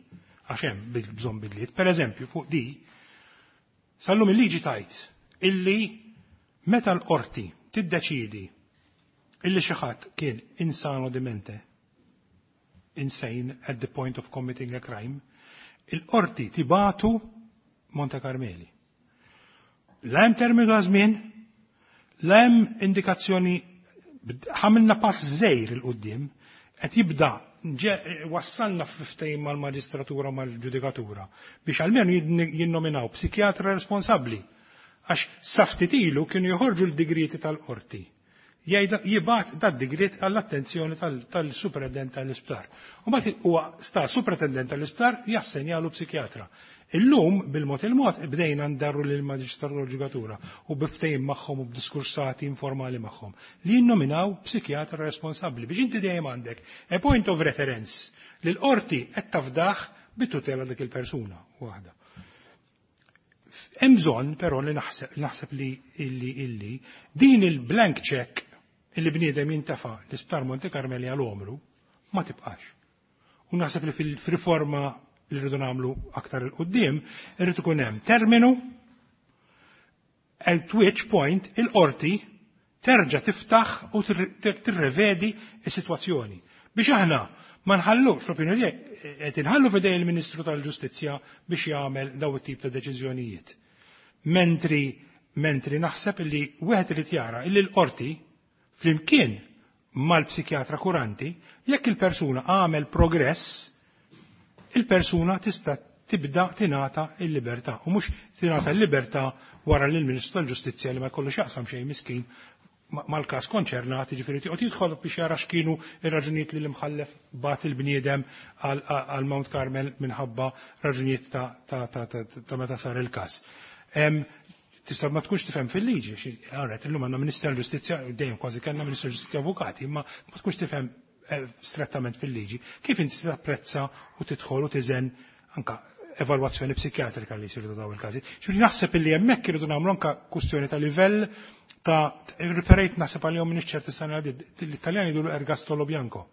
Għax hemm bżonn bidliet. Pereżempju fuq di sallum il-liġi tajt illi meta l-qorti tiddeċidi illi xi ħadd kien insano demente, insane at the point of committing a crime, il-qorti tibatu Monte Carmeli. La hemm terminu ta' żmien, la hemm indikazzjoni, ħamilna pass żgħir il quddiem, qed jibda wassalna f'ftehim mal-maġistratura u mal-ġudikatura biex almenu jinnominaw psikjatra responsabbli għax sa ftit ilu kienu joħorġu l-digrieti tal-qorti. Jibgħat dat digriet għall-attenzjoni tal-superintendent tal-isptar. U mbagħad huwa sta superintendent tal-isptar jassenjalu psikjatra. Illum bil-mod il-mod bdejna ndarru lil maġistratura u l-ġudikatura u biftejn magħhom u b'diskursati informali magħhom li jinnominaw psikjatra responsabbli biex inti dejjem għandek a point of reference li l-qorti qed tafdaħ bit-tutela dik il-persuna waħda. Hemm bżonn però li naħseb naħseb li illi illi din il-blank check illi bniedem jintafa' l-Isptar Monte Carmeli għal omru ma tibqax. U naħseb li fil-riforma li rridu nagħmlu aktar il quddiem irid ikun hemm terminu at which point il-qorti terġa' tiftaħ u tirrevedi s-sitwazzjoni. Biex aħna ma nħallux, fl-opinjoni tiegħi, qed inħallu f'idej il-Ministru tal-Ġustizzja biex jagħmel daw it-tip ta' deċiżjonijiet. Mentri, mentri naħseb li wieħed irid jara illi l-qorti flimkien mal-psikjatra kuranti, jekk il-persuna għamel progress, il-persuna tista' Tibda tingħata l-libertà u mhux tingħata l-libertà wara li l-Ministru tal-Ġustizzja, li ma jkollu x'jaqsam xejn miskin mal-każ konċernat, jiġifieri tiqgħod jidħol biex jara x'kienu ir-raġunijiet li l-imħallef bagħat il-bniedem għal Mount Carmel minħabba raġunijiet ta' meta sar il-każ. Tista' ma tkunx tifhem fil-liġi, għarret, illum għandna Ministru tal-Ġustizzja, dejjem kważi kellna Ministru tal-Ġustizzja avukati, imma ma tkunx tifhem eh, strettament fil-liġi. Kif inti tapprezza u tidħol u tiżen anka evalwazzjoni psikjatrika li jsiru daw il-każi? Ġifieri naħseb illi hemmhekk irridu nagħmlu anka kwistjoni ta' livell ta' referejt naħseb għalihom minn ċerti sena, l-Italjani jgħidu ergastolo bianco.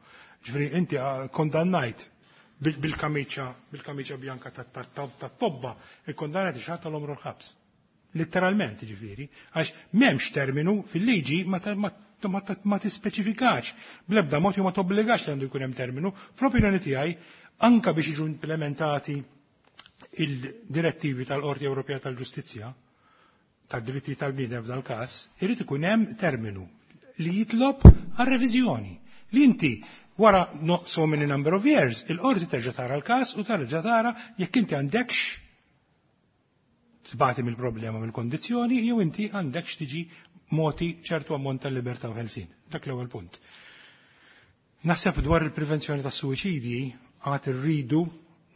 Ġifieri inti ah, kondannajt bil-kamiċa bil-kamiċa bianca tat-tobba, ikkondannajt xi ħadd l-omru l-ħabs. Letteralment ġifieri, għax m'hemmx terminu fil-liġi, ma tispeċifikax bl-ebda mod jew ma tobbligax li għandu jkun hemm terminu. Fl-opinjoni tiegħi, anka biex jiġu implementati il-direttivi tal-Qorti Ewropea tal-Ġustizzja tad-dritti tal-bniedem f'dal każ, irid ikun hemm terminu li jitlob għal-reviżjoni. Li inti wara no so many number of years, il-qorti terġa' tara l-każ u terġa' tara jekk inti għandekx tbati mill-problema, mill-kondizzjoni, jew inti għandekx tiġi moti ċertu ammont tal-libertà u ħelsin. Dak l-ewwel punt. Naħseb dwar il-prevenzjoni tas suwiċidji għad irridu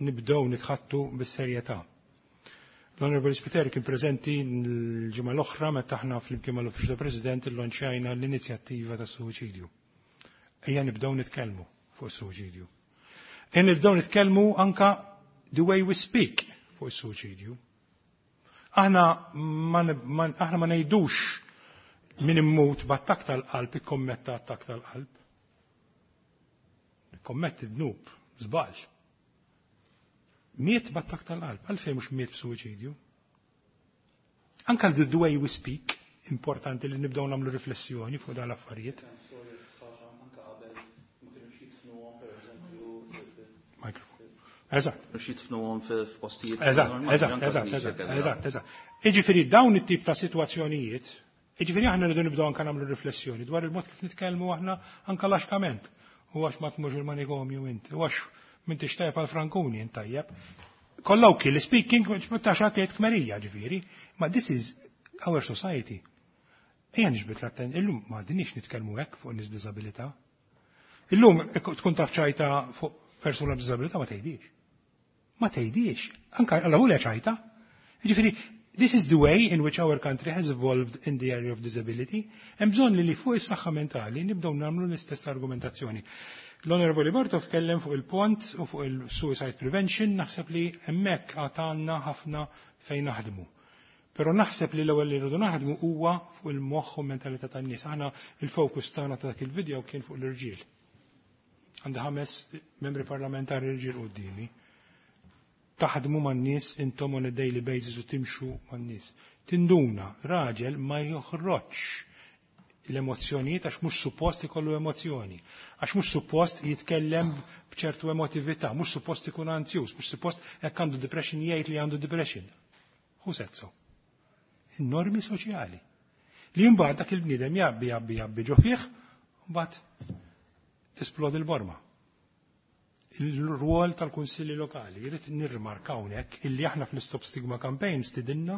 nibdew nitħattu bis-serjetà. L-Honorable Spiteri kien preżenti l-ġimgħa l-oħra meta aħna flimkien mal-Uffiċċju tal-President illonċjajna l-inizjattiva tas suwiċidju. Ejja nibdew nitkellmu fuq is-suwiċidju. Ejja nibdew nitkellmu anka the way we speak fuq is-suwiċidju. Aħna ma, aħna ma ngħidux min immut b'attak tal-qalb ikkommetta attak tal-qalb. Ikkommetti dnub, żball. Miet b'attak tal-qalb, għalfejn mhux miet b'suwiċidju? Anka the way we speak, importanti li nibdew nagħmlu riflessjoni fuq dan l-affarijiet. Anka qabel ma kienux jidfnuhom, pereżempju. Microphone. Eżatt. Mhux jidfnuhom f'postijiet. Eżatt, eżatt, eżatt, eżatt, eżatt, eżatt. Iġifieri dawn it-tip ta' sitwazzjonijiet, iġifieri aħna rridu nibdew anka nagħmlu riflessjoni dwar il-mod kif nitkellmu aħna anka laxkament. U għax ma tmurx il-manikomju inti, u għax m'intix tajjeb għal Frankuni int tajjeb. Colloquially speaking, ta' xatejt kmerija ġifieri, ma this is our society. Ejja nġbit l-atten, illum ma dinix nitkellmu hekk fuq nies b'diżabilità. Illum tkun taf ċajta fuq persuna b'diżabilità, ma tgħidix. Ma tgħidix. Anka alla hu ċajta. Ġifieri, this is the way in which our country has evolved in the area of disability. Hemm bżonn li fuq is-saħħa mentali nibdew nagħmlu l-istess argumentazzjoni. L-Onorevoli Bartov tkellem fuq il-pont u fuq il-suicide prevention, naħseb li hemmhekk għatanna ħafna fejn naħdmu. Però naħseb li l-ewwel li rridu naħdmu huwa fuq il-moħħ u mentalità tan-nies. Aħna il-fokus tagħna ta' dak il-video kien fuq l-irġiel. Għandi ħames membri parlamentari irġiel quddiemi. Taħdmu man-nies intom on a daily basis u timxu man-nies. Tinduna, raġel ma joħroġx l-emozjonijiet għax mhux suppost ikollu emozjoni, għax mhux suppost jitkellem b'ċertu emotività, mhux suppost ikun anzjuż, mhux suppost jekk għandu depression jgħid li għandu depression. Who said so? Il-normi soċjali. Li mbagħad dak il-bniedem jabbi, jabbi, jabbi ġo fih, mbagħad tisplodi l-borma. Il-rwol tal-kunsilli lokali, jrid nirrimarka hawnhekk illi aħna fl-Stop Stigma Campaign stidinna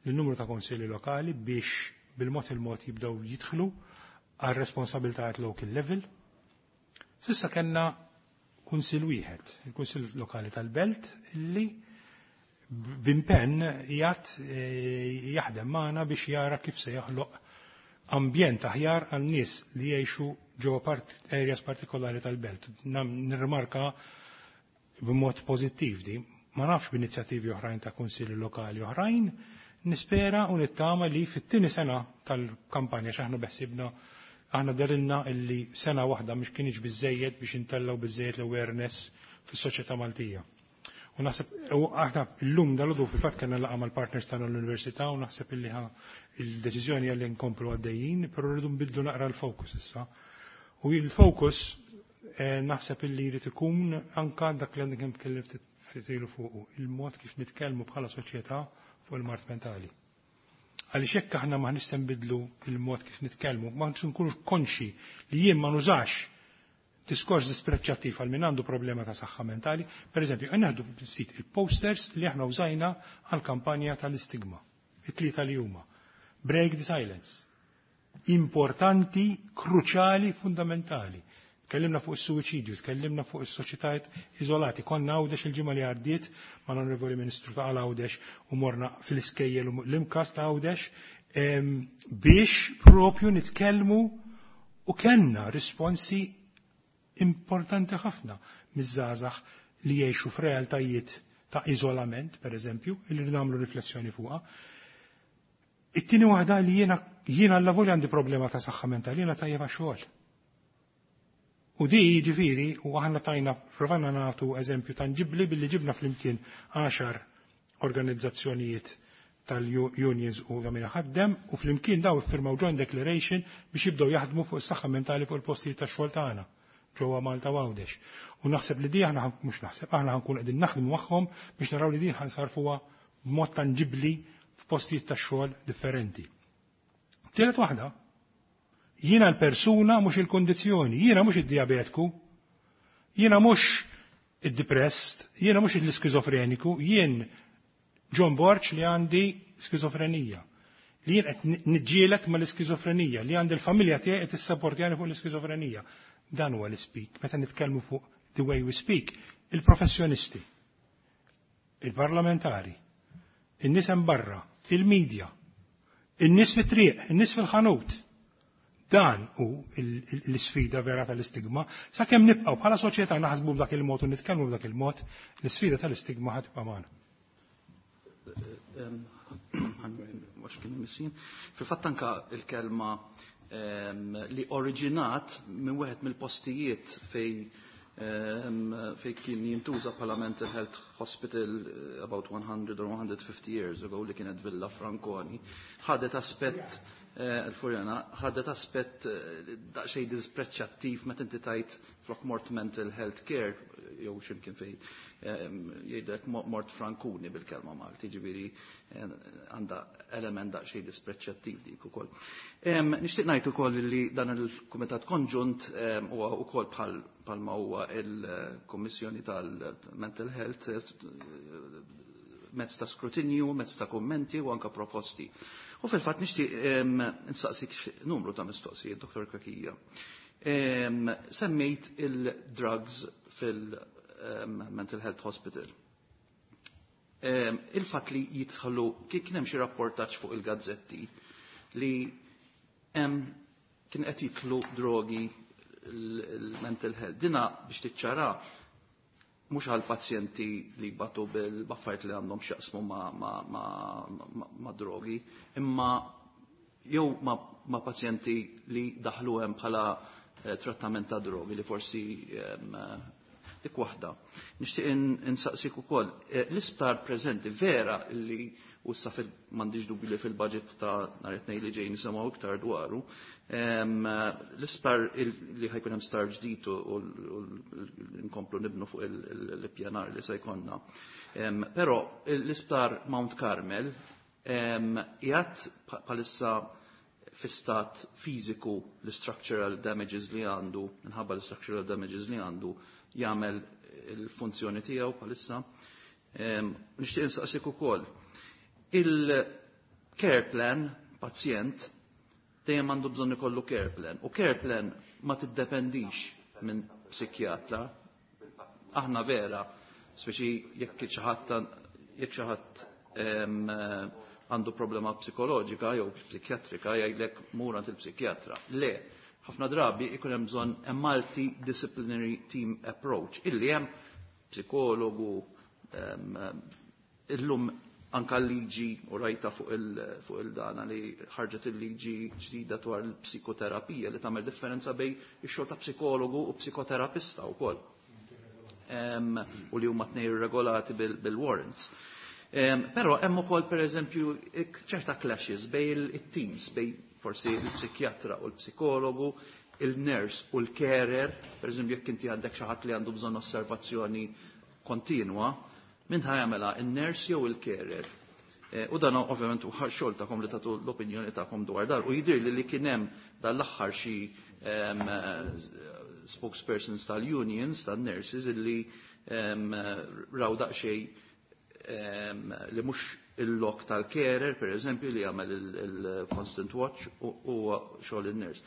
l-numru ta' kunsilli lokali biex bil-mod il-mod jibdew jidħlu għal responsabilità at local level. S'issa kellna kunsill wieħed, il-Kunsill Lokali tal-Belt, illi b'impenn jgħat eh, jaħdem magħna biex jara kif se jaħloq ambjent aħjar għal nies li jgħixu ġewwa part areas partikolari tal-belt. Nirrimarka b'mod pożittiv di, ma nafx b'inizjattivi oħrajn ta' kunsilli lokali oħrajn, nispera u nittama li fit-tieni sena tal-kampanja, x'aħna beħsibna, aħna derilna illi sena waħda mhux kienx biżejjed biex intellaw biżejjed l-awareness fis-soċjetà Maltija. U naħseb, u aħna llum dal fil-fatt kellna laqgħa mal-partners tagħna l-università u naħseb illi il-deċiżjoni għalli nkomplu għaddejjin, però rridu nbidlu naqra l-fokus issa. U il-fokus eh, naħseb illi jrid ikun anka dak li għandek kemm tkellim ftit ilu fuqu, il-mod kif nitkellmu bħala soċjetà fuq il-mard mentali. Għaliex jekk aħna ma nistgħu nbidlu il-mod kif nitkellmu, ma nkunux konxi li jien ma nużax Diskors dispreċċattiv għal min għandu problema ta' saħħa mentali, per eżempju, nieħdu ftit il-posters li aħna użajna għal kampanja tal-istigma, it-tlieta li huma. Break the silence. Importanti, kruċali, fundamentali. Tkellimna fuq is-suwiċidju, tkellimna fuq is-soċjetajiet iżolati. Konna Għawdex il-ġimgħa li għaddiet mal-Onorevoli Ministru ta' Għawdex u morna fil-iskejjel u l-imkas ta' Għawdex biex propju nitkellmu u kellna risponsi importanti ħafna miż-żgħażagħ li jgħixu f'realtajiet ta' iżolament, per eżempju, illi nagħmlu riflessjoni fuqha. It-tieni waħda li jiena jiena l-lavori għandi problema ta' saħħa mentali, jiena tajjeb xogħol. U di ġifiri, u aħna tajna, provajna nagħtu eżempju tangibli billi ġibna flimkien għaxar organizzazzjonijiet tal-unions u għamina ħaddem u flimkien daw iffirmaw joint declaration biex jibdew jaħdmu fuq is-saħħa mentali fuq il-postijiet tax-xogħol tagħna ġewwa Malta u Għawdex. U naħseb li di aħna mhux naħseb, aħna ħankun qegħdin naħdmu magħhom biex naraw li din ħansarfuha b'mod tangibbli f'postijiet tax-xogħol differenti. Tielet waħda, jiena l-persuna mhux il-kondizzjoni, jiena mhux id-diabetku, jiena mhux id-depressed, jiena mhux l-iskizofreniku, jien John Borg li għandi skizofrenija, li jien qed niġġieled mal-iskizofrenija, li għandi l-familja tiegħi qed issapportjani fuq l-iskizofrenija. Dan huwa l-speak, meta nitkellmu fuq the way we speak, il-professjonisti, il-parlamentari, in-nies hemm barra, il-medja, in-nies fit-triq, in-nies fil-ħanut. Dan hu l-isfida vera tal-istigma. Sakemm nibqgħu bħala soċjetà naħsbu b'dak il-mod u nitkellmu b'dak il-mod, l-isfida tal-istigma ħa tibqa' magħna. Fil-fatt anka il-kelma li oriġinat minn wieħed mill-postijiet fej fej kien jintuża bħala mental health hospital about one hundred or one hundred fifty years ago li kienet Villa Franconi, ħadet aspett il-Furjana, ħadet aspett daqsxejn dispreċċattiv meta inti tajt flok mort mental health care jew x'imkien fejn jgħidlek mort Franconi bil-kelma Malti, ġifieri għandha element daqsxejn dispreċċattiv dik ukoll. Nixtieq ngħid ukoll li dan il-Kumitat Konġunt huwa wkoll bħal bħalma huwa il-Kummissjoni tal-Mental Health mezz ta' skrutinju, mezz ta' kummenti u anka proposti. U fil-fatt nixtieq nsaqsik numru ta' mistoqsijiet, Doktor Cachia. Semmejt il-drugs fil-Mental Health Hospital. Il-fatt li jidħlu, kien hemm xi rapportaġġ fuq il-gazzetti li hemm kien qed jidħlu drogi l-mental health. Dina biex tiċċara mhux għal pazjenti li batu bil-baffajt li għandhom x'jaqsmu ma, ma, ma, ma, ma drogi, imma jew ma, ma pazjenti li daħlu hemm bħala eh, trattament ta' drogi li forsi eh, dik waħda. Nixtieq insaqsik ukoll, eh, l-isptar preżenti vera li u issa m'għandix dubju li fil-budget ta' nhar it-tnejn li ġej nisimgħu iktar dwaru, l-isptar li ħajkun hemm sptar ġdid u nkomplu nibnu fuq l-ippjanar li se jkollna. Però l-isptar Mount Carmel qiegħed bħalissa fi stat fiżiku l-structural damages li għandu, minħabba l-structural damages li għandu, jagħmel il-funzjoni tiegħu bħalissa. Nixtieq insaqsik ukoll. Il-care plan, pazjent, dejjem għandu bżonn ikollu care plan. U care plan ma tiddependix minn psikjatra. Aħna vera, speċi jekk xi ħadd jekk xi ħadd għandu problema psikoloġika jew psikjatrika jgħidlek mur għand il-psikjatra. Le, ħafna drabi ikun hemm bżonn a multidisciplinary team approach illi hemm psikologu, illum anka l-liġi u rajta fuq il-dana li ħarġet il-liġi ġdida dwar il-psikoterapija li tagħmel differenza bejn ix-xogħol ta' psikologu u psikoterapista wkoll. U li huma tnejn regolati bil-warrants. Però hemm ukoll pereżempju ċerta clashes bejn it-teams, bejn forsi il-psikjatra u l-psikologu, il-nurse u l-carer, pereżempju jekk inti għandek xi ħadd li għandu bżonn osservazzjoni kontinwa, min ħajamela il-nurse jew il-carer. U dan ovvjament huwa xogħol tagħkom li tagħtu l-opinjoni tagħkom dwar dan. U jidhir li li kien hemm dan l-aħħar xi spokespersons tal-unions, tal-nurses, illi raw daqsxejn li mhux il-lok tal-carer, per eżempju, li jagħmel il-constant watch u xogħol il-nurse.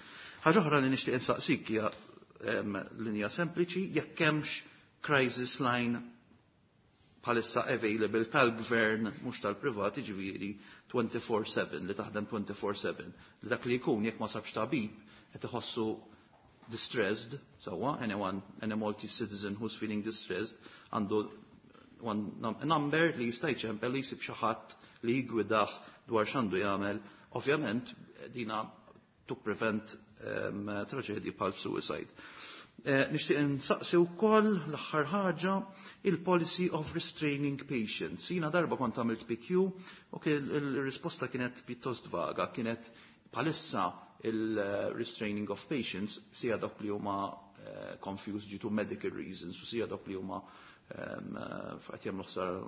Ħaġa oħra li nixtieq insaqsik hija linja sempliċi, jekk hemmx crisis line bħalissa available tal-gvern, mhux tal-privat, ġifieri twenty-four seven, li taħdem twenty-four seven. Li dak li jkun jekk ma sabx tabib qed iħossu distressed, sewwa, anyone, any Maltese citizen who's feeling distressed, għandu one number li jista' jċempel li jsib xi ħadd li jgwidah dwar x'għandu jagħmel. Ovvjament dina to prevent um, traġedji bħal suicide. Eh, nixtieq insaqsi wkoll l-aħħar ħaġa il-policy of restraining patients. Jiena darba kont għamilt P Q u il-risposta kienet pjuttost vaga, kienet bħalissa il-restraining of patients sija dawk li huma eh, confused due to medical reasons u sija dawk li huma qed jagħmlu ħsara,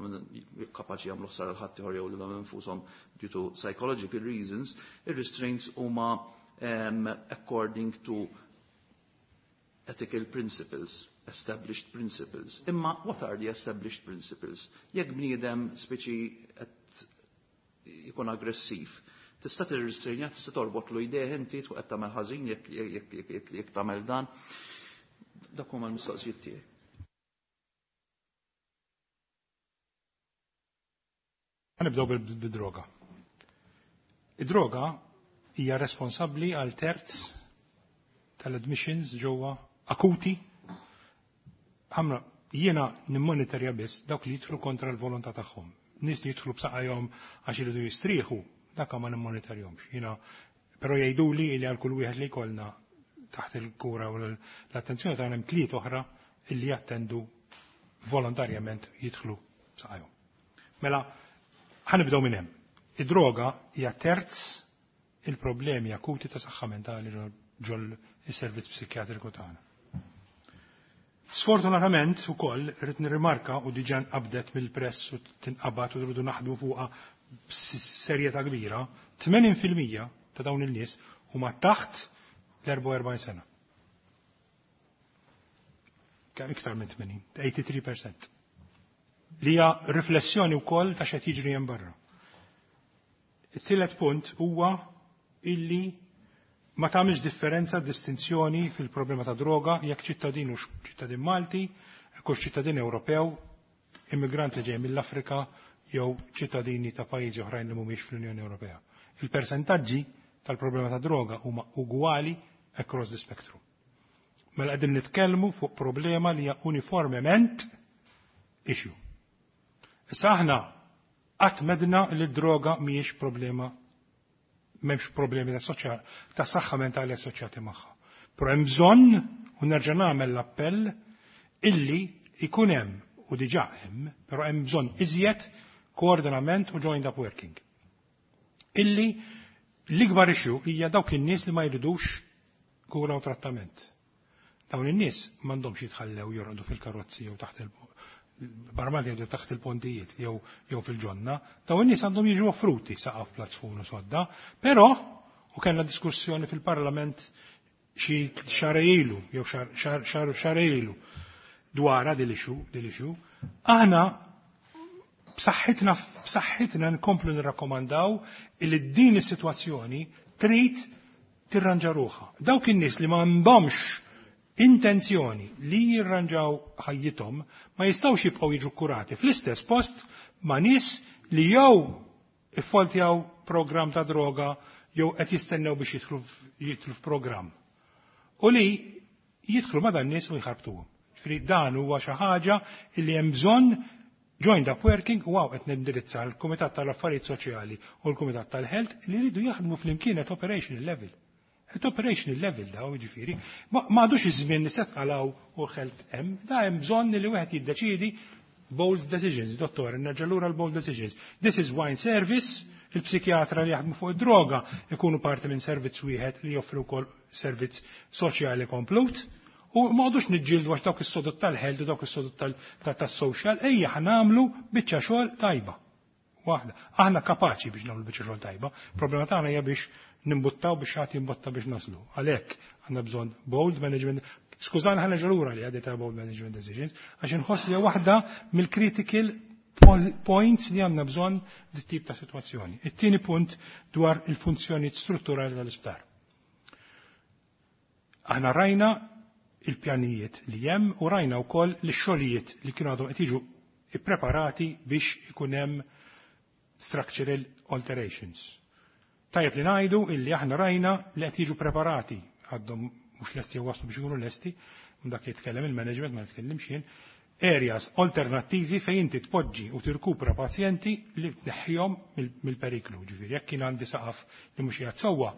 kapaċi jagħmlu ħsara l ħaddieħor jew lilhom infushom due to psychological reasons, ir-restraints huma um, according to ethical principles, established principles. Imma what are the established principles? Jekk bniedem speċi qed jkun aggressiv, tista' tirrestrainja, tista' torbotlu jdejh inti tkun qed tagħmel ħażin jekk, jekk, jekk, jekk, jekk tagħmel dan. Dak huma l-mistoqsijiet tiegħi. Nibdew bil-droga. Id-droga hija responsabbli għal terz tal-admissions ġewwa akuti. Ħamra, jiena nimmonitorja biss dawk li jidħlu kontra l-volontà tagħhom. Nies li jidħlu b'saqajhom għax iridu jistrieħu, dak ma nimmonitorjhomx. Jiena però jgħiduli li għal kull wieħed li jkollna taħt il-kura u l-attenzjoni tagħna hemm tliet oħra illi jattendu volontarjament jidħlu b'saqajhom. Mela, ħanibdew minn hemm. Id-droga hija terz il-problemi akuti ta' saħħa mentali ġol is-servizz psikjatriku tagħna. Sfortunatament ukoll rrid nirrimarka u diġà nqabdet mill-press u tinqabad u rridu naħdmu fuqha b'serjetà kbira, tmenin fil-mija ta' dawn in-nies huma taħt l-erbgħa u erbgħin sena. Kemm iktar minn tmenin, eighty-three percent. Li hija riflessjoni wkoll ta' x'qed jiġri hemm barra. It-tielet punt huwa illi ma tagħmilx differenza distinzjoni fil-problema ta' droga jekk ċittadin u ċittadin Malti, jekk hux ċittadin Ewropew, immigrant li ġej mill-Afrika jew ċittadini ta' pajjiżi oħrajn li mhumiex fl-Unjoni Ewropea. Il-persentaġġi tal-problema ta' droga huma ugwali across the spectrum. Mela qegħdin nitkellmu fuq problema li hija uniformement issue. Issa aħna qatt medna li d-droga mhijiex problema, m'hemmx problemi ta' soċja-, ta' saħħa mentali assoċjati magħha. Però hemm bżonn, u nerġa' nagħmel l-appell, illi ikun hemm, u diġà hemm, però hemm bżonn iżjed koordinament u joined up working. Illi l-ikbar issue hija dawk in-nies li ma jridux kura u trattament. Dawn in-nies m'għandhomx jitħallew jorqdu fil-karozzi jew taħt il-, barmati jew taħt il-pontijiet jew, jew fil-ġonna, dawn in-nies għandhom jiġu offruti saqaf platzfun u sodda, però u kellna diskussjoni fil-Parlament xi xahar ilu jew xahar, xahar, xahar, xahar ilu dwar din l-issue, din l-issue, aħna b'saħħitna, b'saħħitna nkomplu nirrakkomandaw li din is-sitwazzjoni trid tirranġa ruħha. Dawk in-nies li ma għandhomx intenzjoni li jirranġaw ħajjithom ma jistgħux jibqgħu jiġu kurati fl-istess post ma' nies li jew iffoltjaw programm ta' droga jew qed jistennew biex jidħlu f-, jidħlu f'programm. U li jidħlu ma' dan nies u jħarbtuhom. Ġifieri dan huwa xi ħaġa li hemm bżonn joined up working u hawn qed nindirizza l-Kumitat tal-Affarijiet Soċjali u l-Kumitat tal-Health li jridu jaħdmu flimkien at operational level. At operational level daw, ġifieri, ma, ma għadux iż-żmien li se tqalaw u health hemm, da hemm bżonn li wieħed jiddeċiedi bold decisions, dottor, nerġa' lura l-bold decisions. This is wine service, il-psikjatra li jaħdmu fuq id-droga ikunu parti minn servizz wieħed li joffru wkoll servizz soċjali komplut. U ma għadux niġġieldu għax dawk is-sodod tal-health u dawk is-sodod tal-, ta-, tas-social, ejja ħanamlu biċċa xogħol tajba. Waħda. Aħna kapaċi biex nagħmlu biċċa xogħol tajba. Problema tagħna hija biex nimbuttaw biex ħadd jimbotta biex naslu. Għalhekk għandna bżonn bold management. Skużani, ħa nerġa' lura li għadita about management decisions, għax inħoss li waħda mill-critical points li għandna bżonn dit tip ta' situazzjoni. It-tieni punt dwar il-funzjoni strutturali tal-isptar. Aħna rajna il-pjanijiet li hemm u rajna wkoll li xogħlijiet li kienu għadhom qed jiġu ippreparati biex ikun hemm structural alterations. Tajjeb li ngħidu illi aħna rajna li qed jiġu preparati, għadhom mhux lesti jew waslu biex ikunu lesti, dak jitkellem il-management, ma nitkellimx jien, areas alternattivi fejn inti tpoġġi u tirkupra pazjenti li tneħħihom mill-periklu. Ġifieri jekk kien għandi saqaf li mhux qiegħed sewwa,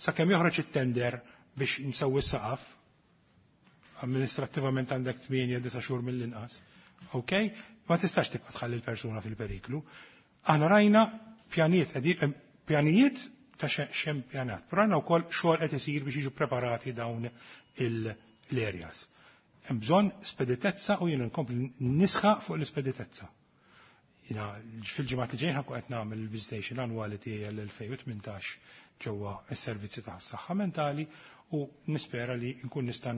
sakemm joħroġ it-tender biex nsewwi s-saqaf, amministrattivament għandek tmienja disa' xhur mill-inqas. Ok? Ma tistax tibqa' tħalli l-persuna fil-periklu. Aħna rajna pjanijiet pjanijiet ta' xem pjanat. Però għandna wkoll xogħol qed isir biex jiġu preparati dawn l-areas. Hemm bżonn speditezza u jien nkompli nisħaq fuq l-ispeditezza. Jiena fil-ġimgħat li ġejjin ħa nkun qed nagħmel il-visitation annwali tiegħi għall-elfejn u tmintax ġewwa s-servizzi ta' saħħa mentali u nispera li nkun nista'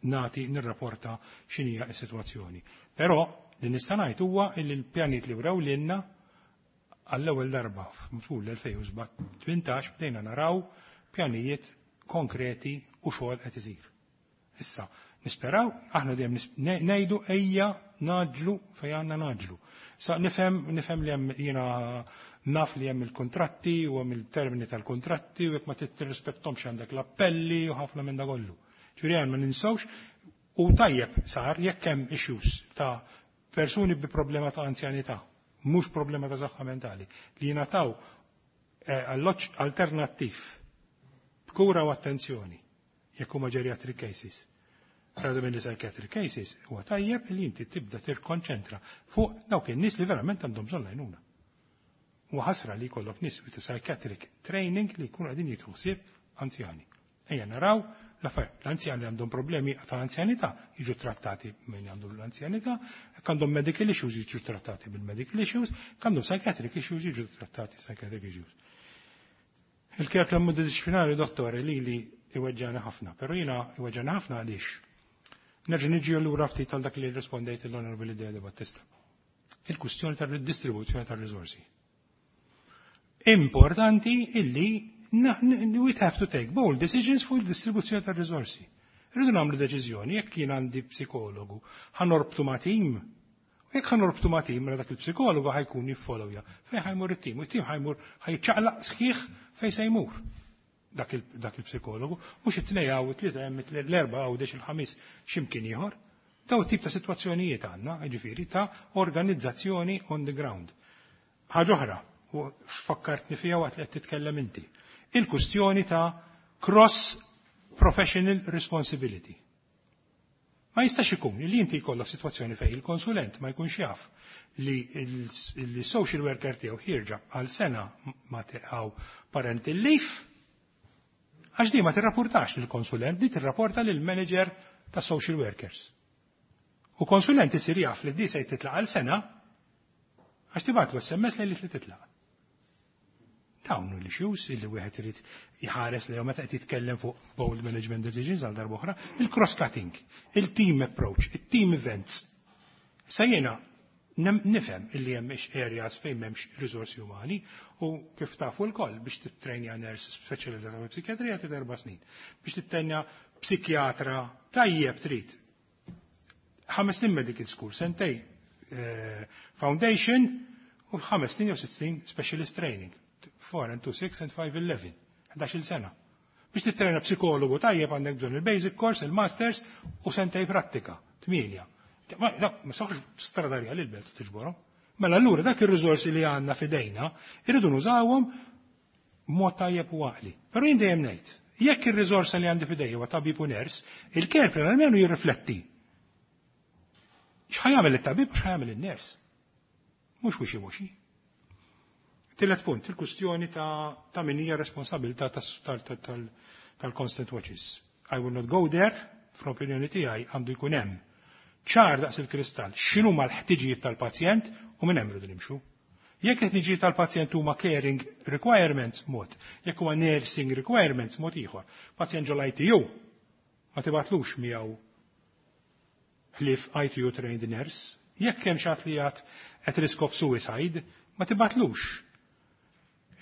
nagħti nirrapporta x'inhija s-sitwazzjoni. Però li nista' ngħid huwa li l-pjanijiet li wrew lilna, għall-ewwel darba f'matul l-elfejn u tmintax bdejna naraw pjanijiet konkreti u xogħol qed isir. Issa, nisperaw, aħna dejjem ngħidu ejja ngħaġġlu fejn għandna ngħaġġlu. Sa nifhem nifhem li hemm, jiena naf li hemm il-kontratti u hemm il-termini tal-kontratti u jekk ma tirrispettomx għandek l-appelli u ħafna minn da kollu. Ġifieri ma ninsewx u tajjeb sar jekk hemm issues ta' persuni bi problema ta' anzjanità, mhux problema ta' saħħa mentali, li jingħataw eh, alloġġ alternattiv b'kura u attenzjoni jekk huma geriatric cases. Rather minn psychiatric cases, huwa tajjeb li inti tibda tirkonċentra fuq dawk in-nies li verament għandhom bżonn lajnuna. U ħasra li jkollok nies with psychiatric training li jkunu qegħdin jieħdu ħsieb anzjani. Ejja naraw l-anzjani li għandhom problemi ta' anzjanità jiġu trattati minn għandhom l-anzjanità, għandhom medical issues jiġu trattati bil-medical issues, għandhom psychiatric issues jiġu trattati psychiatric issues. Il-care plan multidisciplinari, dottore, li li iweġġana ħafna, pero jiena iweġġana ħafna għaliex. Nerġa' niġi lura ftit tal dak li rispondejt l-Onorevoli De Battista. Il-kustjoni tal-distribuzzjoni tal-risorsi. Importanti illi we have to take bold decisions fuq il-distribuzzjoni tal-risorsi. Rridu nagħmlu deċiżjoni jekk jien għandi psikologu, ħa norbtu ma' tim. Jekk ħa norbtu ma' tim, mela dak il-psikologu ħa jkun jiffollowja. Fejn ħa jmur it-tim, u it-tim ħa jmur, ħa jiċċaqlaq sħiħ fejn se jmur dak il-psikologu, mhux it-tnejn hawn, it-tlieta hemm, l-erba' hawn, il-ħamis x'imkien ieħor. Daw tip ta' sitwazzjonijiet għandna, ġifieri ta' organizzazzjoni on the ground. Ħaġa oħra, u fakkartni fiha waqt li qed titkellem inti. Il-kustjoni ta' cross professional responsibility. Ma jistax ikun li inti jkollok sitwazzjoni fejn il-konsulent ma jkunx jaf li il-social worker tiegħu ħierġa għal sena ma teqgħu parental leave, għax di ma tirrapportax lill-konsulent, di tirrapporta lill-manager ta' social workers. U konsulent isir jaf li di se titlaq għal sena għax tibgħatlu S M S li li titlaq. Dawn l-issues illi wieħed irid jħares li meta qed jitkellem fuq bold management decisions għal darba oħra, il-cross-cutting, il-team approach, il-team events. Sa jiena nifhem illi hemm areas fejn m'hemmx risorsi umani u kif tafu lkoll, biex tittrejnja nurse speċjalizzata fi psikjatrija trid erba' snin. Biex tittrejnja psikjatra tajjeb trid ħames snin medical school, sentejn eh, foundation u ħames snin jew sitt snin specialist training. four and two, six and five, eleven. ħdax-il sena. Biex tittrejna psikologu tajjeb għandek bżonn il-basic course, il-masters u sentejn prattika, tmienja. Ma, ma soħx stradarja li l-belt tiġborhom. Mela allura dak ir-riżorsi li għandna fidejna irridu nużawhom mod tajjeb u għaqli. Però jien dejjem ngħid, jekk ir-riżorsa li għandi fidejja huwa tabib u nurse, il-care plan almenu jirrifletti x'ħa jagħmel it-tabib u x'ħa jagħmel in-nurse. Mhux wishy-washy. Tielet punt, il-kustjoni ta', ta' min hija responsabilità tal-constant watches. I will not go there, fl-opinjoni tiegħi għandu jkun hemm ċar daqs il-kristall x'inhu l-ħtiġijiet tal-pazjent u minn hemm rridu nimxu. Jekk il-ħtiġijiet tal-pazjent huma caring requirements mod, jekk huwa nursing requirements mod ieħor. Pazjent ġol I T U Ma tibgħatlux miegħu ħlief I T U trained nurse. Jekk hemm xi ħadd li qiegħed at risk of suicide, ma tibgħatlux.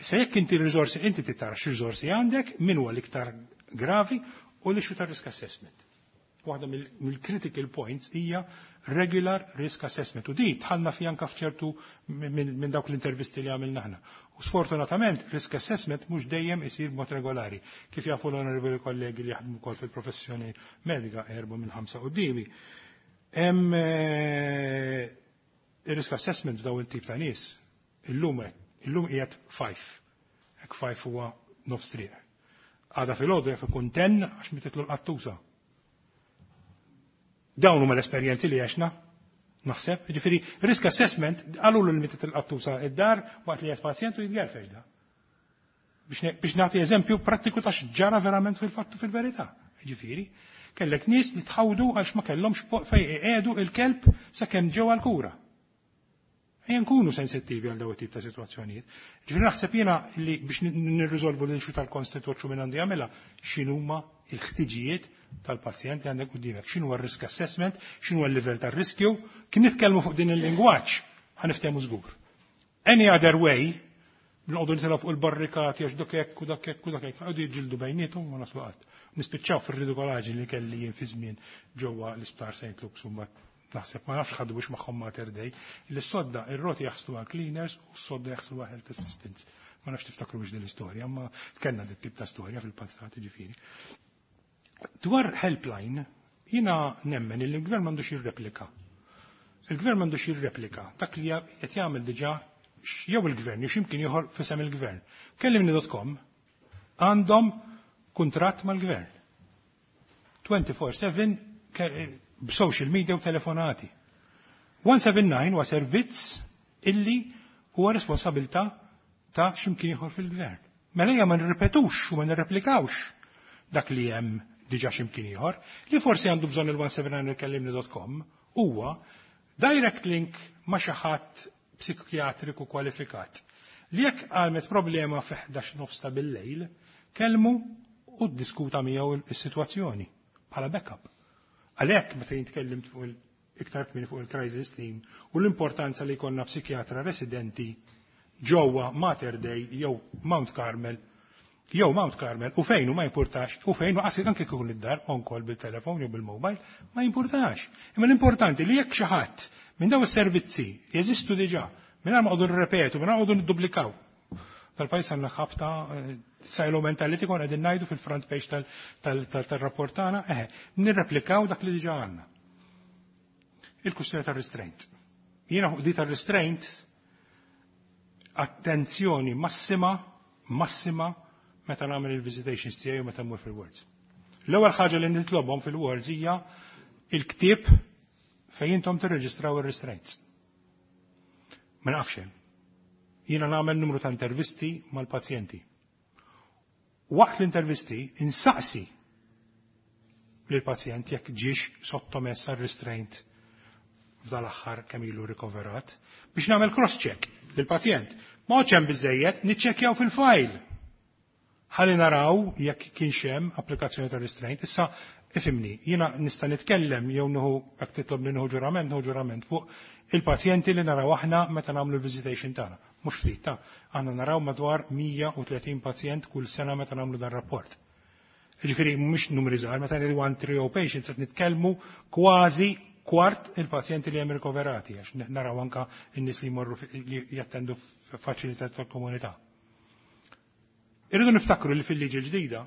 Issa jekk inti r-riżorsi, inti tara x'riżorsi għandek, min huwa l-iktar gravi u l-issue ta' risk assessment. Waħda mill-critical points hija regular risk assessment. U di dħalna fi anka f'ċertu minn dawk l-intervisti li għamilna aħna. U sfortunatament risk assessment mhux dejjem isir b'mod regolari. Kif jafu l-onorevoli kollegi li jaħdmu wkoll fil-professjoni medika, erba' minn ħamsa quddiemi. Hemm eh, il-risk assessment daw il-tip ta' nies illum illum qiegħed five. Hekk five huwa nofs triq. Għada filgħodu jaf ikun ten għax mititlu l-qattusa. Dawn huma l-esperjenzi li għexna, naħseb. Ġifieri, risk assessment, għalu l mitet il-qattusa id-dar waqt li qed pazjent u jitgerfex da. Biex nagħti eżempju prattiku ta' x'ġara verament fil-fattu fil-verità. Ġifieri, kellek nies li tħawdu għax ma kellhomx fej iqiegħdu il-kelb sakemm ġew għal-kura. Ejja nkunu sensittivi għal daw it-tip ta' sitwazzjonijiet. Ġifieri naħseb jiena li biex nirriżolvu l-issue tal-constant watch minn għandi jagħmilha x'inhuma l-ħtiġijiet tal-pazjent li għandek quddiemek, x'inhu r-risk assessment, x'inhu l-livell tar-riskju, kien nitkellmu fuq din il-lingwaġġ ħa niftehmu żgur. Any other way, noqogħdu nitilgħu fuq il-barrikati għax dak hekk u dak hekk u dak hekk, qogħdu jiġġieldu bejniethom u naslu qatt. Nispiċċaw fir-ridikolaġi li kelli jien fi żmien ġewwa l-Isptar Saint Luke's u mbagħad naħseb ma nafx ħadu biex magħhom Mater Dei, li s-sodda ir-roti jaħsluha cleaners u s-sodda jaħsluha health assistants. Ma nafx tiftakru biex din l-istorja, ma kellna dit tip ta' storja fil-passat, ġifieri. Dwar helpline, jiena nemmen li l-gvern m'għandux jirreplika. Il-gvern m'għandux jirreplika dak li qed jagħmel diġà jew il-gvern jew x'imkien ieħor f'isem il-gvern. Kellimni punt com għandhom kuntratt mal-gvern. twenty-four seven b'social media u telefonati. one seven nine huwa servizz illi huwa responsabilità ta' x'imkien ieħor fil-gvern. Mela hija ma nirrepetux u ma nirreplikawx dak li hemm diġà x'imkien ieħor, li forsi għandu bżonn il-one seven nine kellimni punt com huwa direct link ma' xi ħadd psikjatriku kwalifikat. Li jekk għamlet problema fi ħdax nofs ta' bil-lejl, kellmu u ddiskuta miegħu is-sitwazzjoni bħala backup. Għalhekk meta jintkellimt fuq iktar kmieni fuq il-crisis team u l-importanza li jkollna psikjatra residenti ġewwa Mater Dei jew Mount Carmel jew Mount Carmel u fejn u ma jimpurtax u fejn u qasi anke kikun id-dar on call bil-telefon jew bil-mobile ma jimpurtax. Imma l-importanti li jekk xi ħadd minn daw is-servizzi jeżistu diġà mingħajr ma qogħdu nirrepetu, mingħajr qogħdu nidduplikaw. Tal-pajjiż għandna ħabta eh, silo mentality, kon qegħdin ngħidu fil-front page tal-rapport tagħna, eħe, nirreplikaw dak li diġà għandna. Il-kustjoni tar-restraint. Jiena fuq di tar-restraint attenzjoni massima, massima meta nagħmel il-visitations tiegħi u meta mmur fil-wards. L-ewwel ħaġa li nitlobhom fil-wards hija il-ktieb fejn intom tirreġistraw ir-restraints. Ma nafx hemm. Jiena nagħmel numru ta' intervisti mal-pazjenti. Waqt l-intervisti insaqsi lill-pazjent jekk ġiex sottomess għal restraint f'dal-aħħar kemm ilu rikoverat biex nagħmel cross-check lill-pazjent. Ma hemm biżejjed, niċċekkjaw fil-file. Ħalli naraw jekk kienx hemm applikazzjoni ta' restraint. Issa ifhimni, jiena nista' nitkellem jew nieħu, jekk titlobni nieħu ġurament, nieħu ġurament fuq il-pazjenti li naraw aħna meta nagħmlu l-visitation tagħna. Mhux ftit ta' aħna naraw madwar mija u tletin pazjent kull sena meta nagħmlu dan rapport. Ġifieri mhux numri żgħar, meta ngħidu one three patients qed nitkellmu kważi kwart il-pazjenti li hemm rikoverati, għax naraw anka n-nies li jmorru li jattendu f'faċilità tal-komunità. Irridu niftakru li fil-liġi ġdida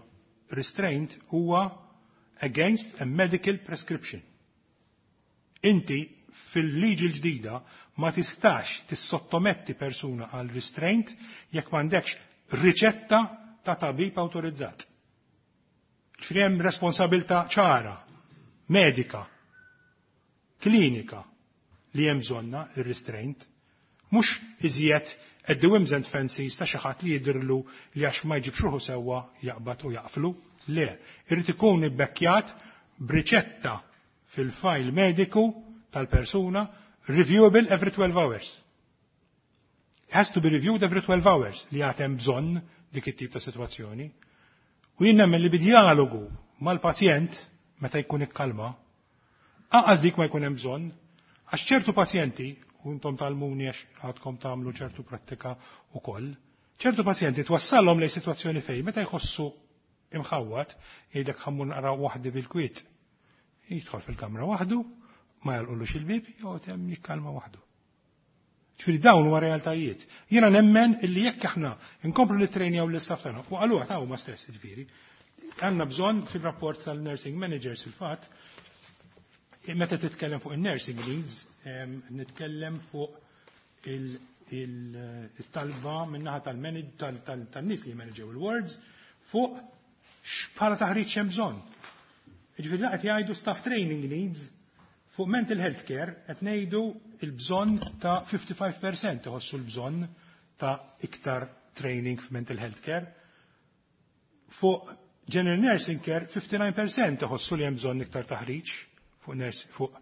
restraint huwa against a medical prescription. Inti fil-liġi l-ġdida ma tistax tissottometti persuna għal restraint jekk m'għandekx riċetta ta' tabib autorizzat. Ġifieri hemm responsabilità ċara, medika, klinika li hemm bżonna ir-restraint, mhux iżjed at the whims and fancies ta' xi ħadd li jidhirlu li għax ma jġibx ruħu sewwa jaqbad u jaqflu. Le, irid ikun ibbekkjat b'riċetta fil-file mediku tal-persuna, reviewable every twelve hours. It has to be reviewed every twelve hours li għad hemm bżonn dik it-tip ta' situazzjoni. U jien nemmen li bidjalogu mal-pazjent, meta jkun ikkalma, anqas dik ma jkun hemm bżonn, għax ċertu pazjenti, u intom tgħallmuni għax għadkom tagħmlu ċertu prattika ukoll, ċertu pazjenti twassallhom lejn sitwazzjoni fejn meta jħossu imħawwad, jgħidlek ħa mmur naqra waħdi bil-kwiet. Jidħol fil-kamra waħdu, ma jagħlqulux il-bib, joqgħod hemm jikkalma waħdu. Ġifieri dawn huwa realtajiet. Jiena nemmen illi jekk aħna nkomplu nittrejnjaw l-istaff tagħna, u qaluha ta' huma stess ġifieri, għandna bżonn fil-rapport tal-nursing managers fil-fatt, meta titkellem fuq il-nursing needs, nitkellem fuq il-talba min-naħa tan-nies li jmanaġew il-wards fuq x'bħala taħriġ hemm bżonn. Ġifieri qed jgħidu staff training needs fuq mental health care qed ngħidu il-bżonn ta' ħamsa u ħamsin fil-mija iħossu l-bżonn ta' iktar training f'mental health care. Fuq general nursing care ħamsa u disgħin fil-mija iħossu li hemm bżonn iktar taħriġ fuq, nurse, fuq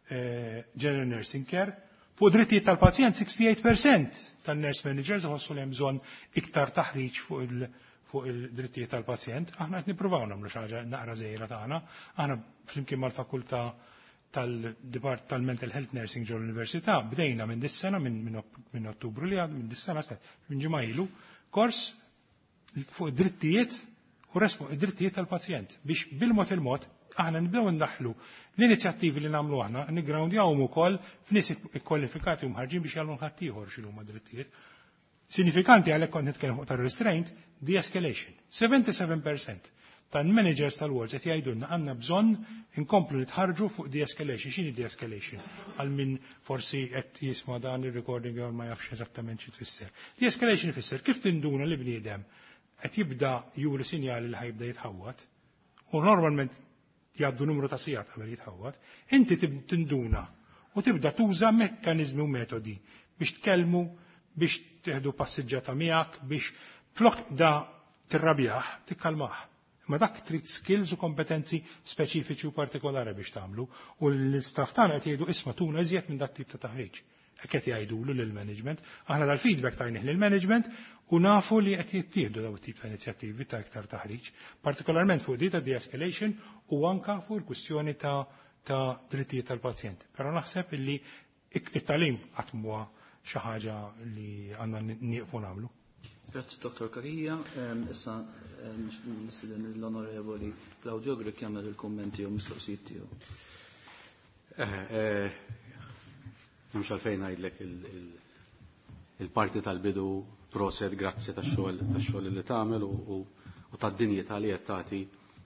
eh, general nursing care. Fuq drittijiet tal-pazjent sittaħuħamsin fil-mija tan-nurse managers iħossu li hemm bżonn iktar taħriġ fuq il- fuq il-drittijiet tal-pazjent. Aħna qed nippruvaw nagħmlu xi ħaġa naqra żgħira tagħna. Aħna flimkien mal-fakultà tal-Depart tal-Mental Health Nursing ġol l-Università bdejna minn dis-sena minn min, min Ottubru li għad minn dis-sena minn ġimgħa ilu kors fuq drittijiet u drittijiet tal-pazjent biex bil-mod il-mod aħna nibdew ndaħlu l-inizjattivi li nagħmlu aħna niggroundjawhom ukoll f'nies ikkwalifikati u mħarġin biex jgħallmu ħaddieħor x'inhuma drittijiet. Sinifikanti għalhekk kont nitkellem fuq tar-restraint, de-escalation. sebgħa u sebgħin fil-mija tal-managers tal-wards qed jgħidulna għandna bżonn inkomplu nitħarġu fuq de-escalation. X'inhi de-escalation? Għal min forsi qed jisma' dan ir-recording jew ma jafx eżattament xi tfisser. De-escalation ifisser kif tinduna li bniedem qed jibda juri sinjali li ħa jibda jitħawwad, u normalment jgħaddu numru ta' sigħat qabel jitħawwad, inti tinduna u tibda tuża mekkaniżmi u metodi biex tkellmu, biex tieħdu passiġġata miegħek, biex flok da tirrabjah, tikkalmah. Ma dak trid skills u kompetenzi speċifiċi u partikolari biex tagħmlu u l-istaff tagħna qed jgħidu isma' tuna iżjed minn dak tip ta' taħriġ. Hekk qed jgħidulu lill-management. Aħna dal-feedback tajnih lill-management u nafu li qed jittieħdu daw tip ta' inizjattivi ta' iktar taħriġ, partikolarment fuq di ta' de-escalation u anka fuq il-kwistjoni ta' ta' drittijiet tal-pazjent. Però naħseb illi it-tagħlim qatt mhuwa xi ħaġa li għandna nieqfu nagħmlu. Grazzi Dottor Cachia. Issa nistieden l-Onorevoli Claudio Grech jagħmel il-kummenti u mistoqsijiet tiegħu. Mhux għalfejn ngħidlek il-parti tal-bidu, proset, grazzi tax-xogħol tax-xogħol li tagħmel u tad-dinjità li qed tagħti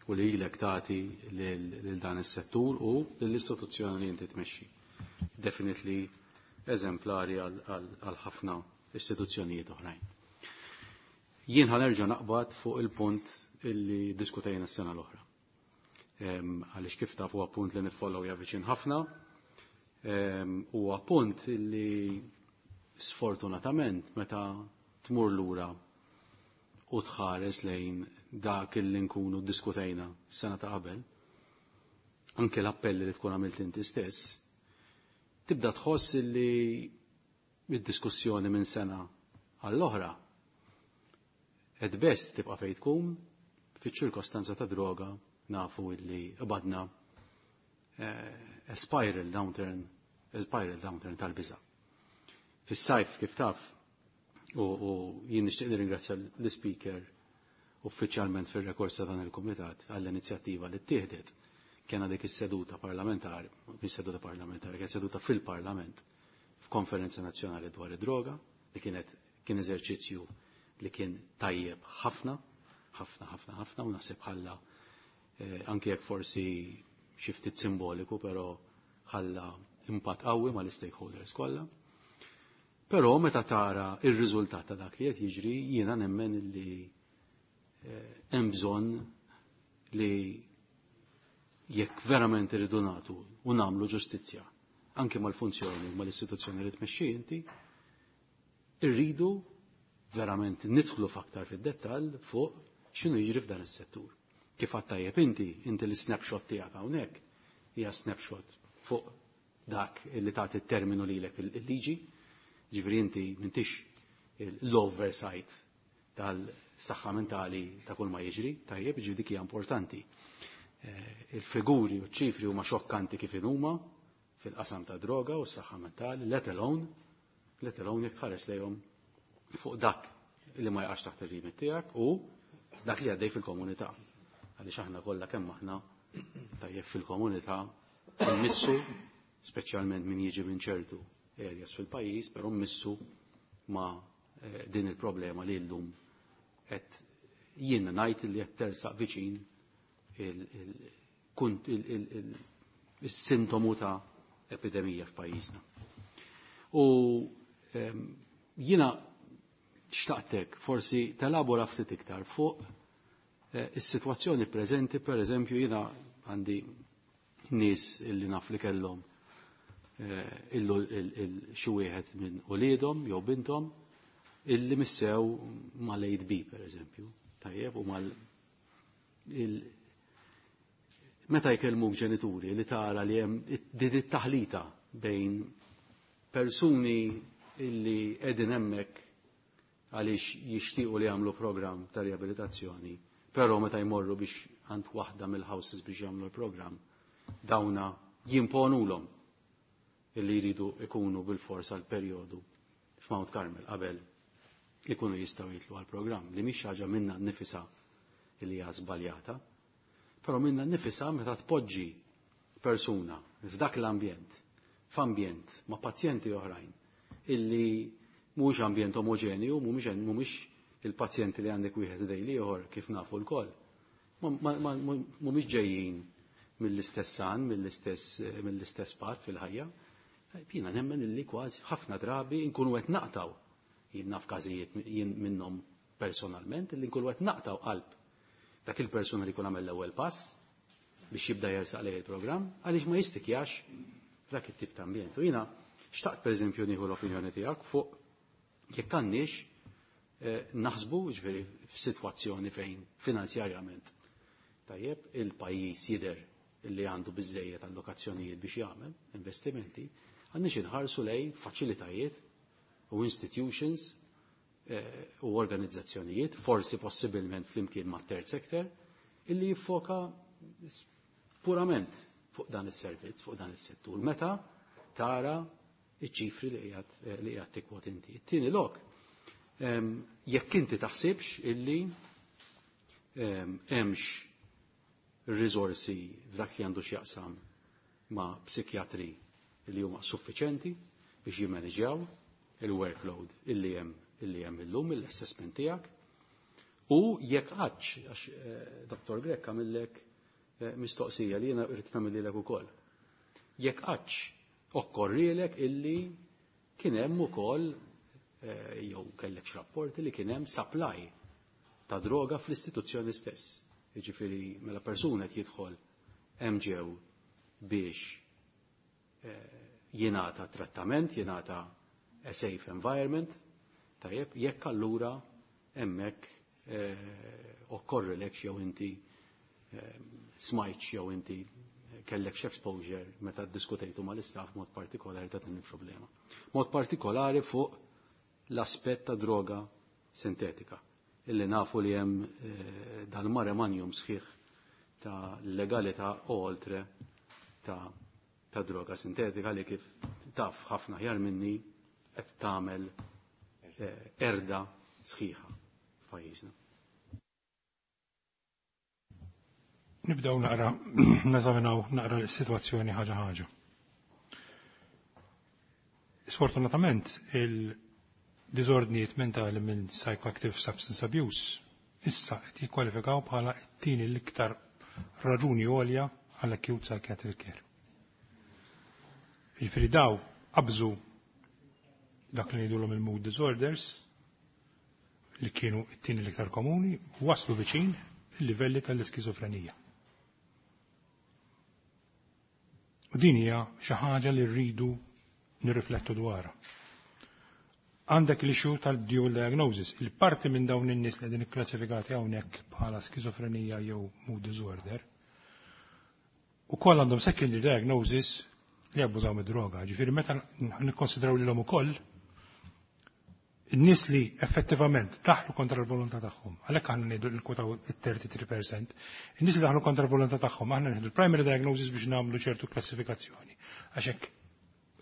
u li ilek tagħti lil dan is-settur u lill-istituzzjoni li inti tmexxi. Definitely eżemplari għal ħafna istituzzjonijiet oħrajn. Jien ħa nerġa' naqbad fuq il-punt illi diskutejna s-sena l-oħra. Għaliex kif taf huwa punt li niffollow viċin ħafna, huwa punt illi sfortunatament meta tmur lura u tħares lejn dak illi nkunu diskutejna s-sena ta' qabel, anke l-appelli li tkun għamilt inti stess, tibda tħoss illi id-diskussjoni minn sena għall-oħra at best tibqa' fejn tkun. Fiċ-ċirkostanza ta' droga nafu illi qbadna a spiral downturn, a spiral downturn tal-biża'. Fis-sajf kif taf, u, u jien nixtieq nirringrazzja l-speaker uffiċjalment fir-rekord ta' dan il-kumitat għall-inizjattiva li ttieħdet, kena dik is-seduta parlamentari, mhix seduta parlamentari, kien seduta fil-Parlament f'konferenza nazzjonali dwar id-droga li kienet kien eżerċizzju li kien tajjeb ħafna, ħafna, ħafna, ħafna, u naħseb ħalla eh, anke jekk forsi xi ftit simboliku, però ħalla impatt qawwi mal-stakeholders kollha. Però meta tara ir-riżultat ta' dak li qed jiġri, jiena nemmen li eh, hemm bżonn li jekk verament irridu nagħtu u nagħmlu ġustizzja anke mal-funzjoni u mal-istituzzjoni li tmexxi inti, irridu verament nidħlu f'aktar fid-dettall fuq x'inhu jiġri f'dan is-settur. Kif għadt tajjeb inti, inti l-snapshot tiegħek hawnhekk hija snapshot fuq dak li tagħti t-terminu lilek il-liġi, ġifieri inti m'intix l-oversight tal-saħħa mentali ta' kull ma jiġri, tajjeb, ġifieri dik hija importanti. Il-figuri u ċifri huma xokkanti kif huma fil-qasam ta' droga u s-saħħa mentali, let alone, let alone jekk tħares lejhom fuq dak li ma jaqax taħt ir-remit tiegħek u dak li għaddej fil-komunità. Għaliex aħna kollha kemm aħna tajjeb fil-komunità mmissu, speċjalment min jiġi minn ċertu areas fil-pajjiż, però mmissu ma' din il-problema li llum qed jien ngħid li qed tersaq viċin il-sintomu ta' epidemija f'pajjiżna. U jiena xtaqtek forsi telabora ftit iktar fuq is-sitwazzjoni preżenti, per eżempju jiena għandi nies illi naf li kellhom illu xi wieħed minn uliedhom jew binthom illi missew mal-A B per eżempju, tajjeb, u mal meta jkellmuk ġenituri li tara li hemm din it-taħlita bejn persuni illi qegħdin hemmhekk għaliex jixtiequ li jagħmlu programm ta' riabilitazzjoni, però meta jmorru biex għand waħda mill-houses biex jagħmlu l-programm, dawna jimponulhom illi jridu ikunu bil-fors għal perjodu f'Mount Carmel qabel ikunu jistgħu jitlu għal programm li mhix ħaġa minna nnifisha li hija żbaljata, però minna nnifisha meta tpoġġi persuna f'dak l-ambjent, f'ambjent ma' pazjenti oħrajn illi mhuwiex ambjent omoġenju, mhumiex mhumiex il-pazjenti li għandek wieħed dejli ieħor kif nafu lkoll. Mhumiex ġejjin mill-istess san, mill-istess mill-istess part fil-ħajja. Jiena nemmen illi kważi ħafna drabi nkunu qed naqtaw, jien naf każijiet jien minnhom personalment, illi nkunu qed naqtaw qalb dak il-persuna li jkun għamel l-ewwel pass biex jibda jersaq lejn il-programm għaliex ma jistikjax f'dak it-tip ta' ambjent. U jiena xtaqt pereżempju nieħu l-opinjoni tiegħek fuq jekk għandniex naħsbu ġifieri f'sitwazzjoni fejn finanzjarjament tajjeb il-pajjiż jidher li għandu biżejjed allokazzjonijiet biex jagħmel investimenti, għandniex inħarsu lejn faċilitajiet u institutions u organizzazzjonijiet, forsi possibilment flimkien ma' third sector, illi jiffoka purament fuq dan is-servizz, fuq dan is-settur. Meta tara iċ-ċifri li qiegħed li qiegħed tikkwot inti. It-tieni lok, jekk inti taħsibx illi hemmx riżorsi f'dak li għandu x'jaqsam ma' psikjatri li huma suffiċenti biex jimmaneġjaw il-workload illi hemm illi hemm illum l-assessment tiegħek. U jekk għadx, għax Dottor Grech għamillek mistoqsija li jiena rrid nagħmililek ukoll. Jekk għadx okkorrilek illi kien hemm ukoll jew kellek rapporti li kien hemm supply ta' droga fl-istituzzjoni stess. Jiġifieri mela persuna qed jidħol hemm ġew biex jingħata trattament, jingħata a safe environment, tajjeb, jekk allura hemmhekk okkorrilek jew inti smajtx jew inti kellek exposure meta ddiskutejtu mal-istaff mod partikolari ta' din il-problema. Mod partikolari fuq l-aspett ta' droga sintetika, illi nafu li hemm dal-mare magnum sħiħ ta' legalità u oltre ta' ta' droga sintetika li kif taf ħafna ħjar minni qed tagħmel erda sħiħa f'pajjiżna. Nibdew naqra neżaminaw naqra l-sitwazzjoni ħaġa ħaġa. Sfortunatament il-diżordnijiet mentali minn psychoactive substance abuse issa qed jikkwalifikaw bħala t-tieni l-iktar raġuni għolja għal acute psychiatric care. Jiġifieri daw qabżu dak li ngħidulhom il-mood disorders li kienu t-tieni l-iktar komuni u waslu viċin il-livelli tal-iskizofrenija. U din hija xi ħaġa li rridu nirriflettu dwarha. Għandek l-issue tal-dual diagnosis. Il-parti minn dawn in-nies li qegħdin ikklassifikati hawnhekk bħala skizofrenija jew mood disorder ukoll għandhom secondary diagnosis li abbużaw mid-droga. Ġifieri meta nikkonsidraw lilhom ukoll In-nies li effettivament daħlu kontra l-volontà tagħhom, għalhekk aħna ngħidu l-kwotaw it-thirty-three percent, in-nies li daħlu kontra l-volontà tagħhom, aħna nieħdu l-primary diagnosis biex nagħmlu ċertu klassifikazzjoni. Għax hekk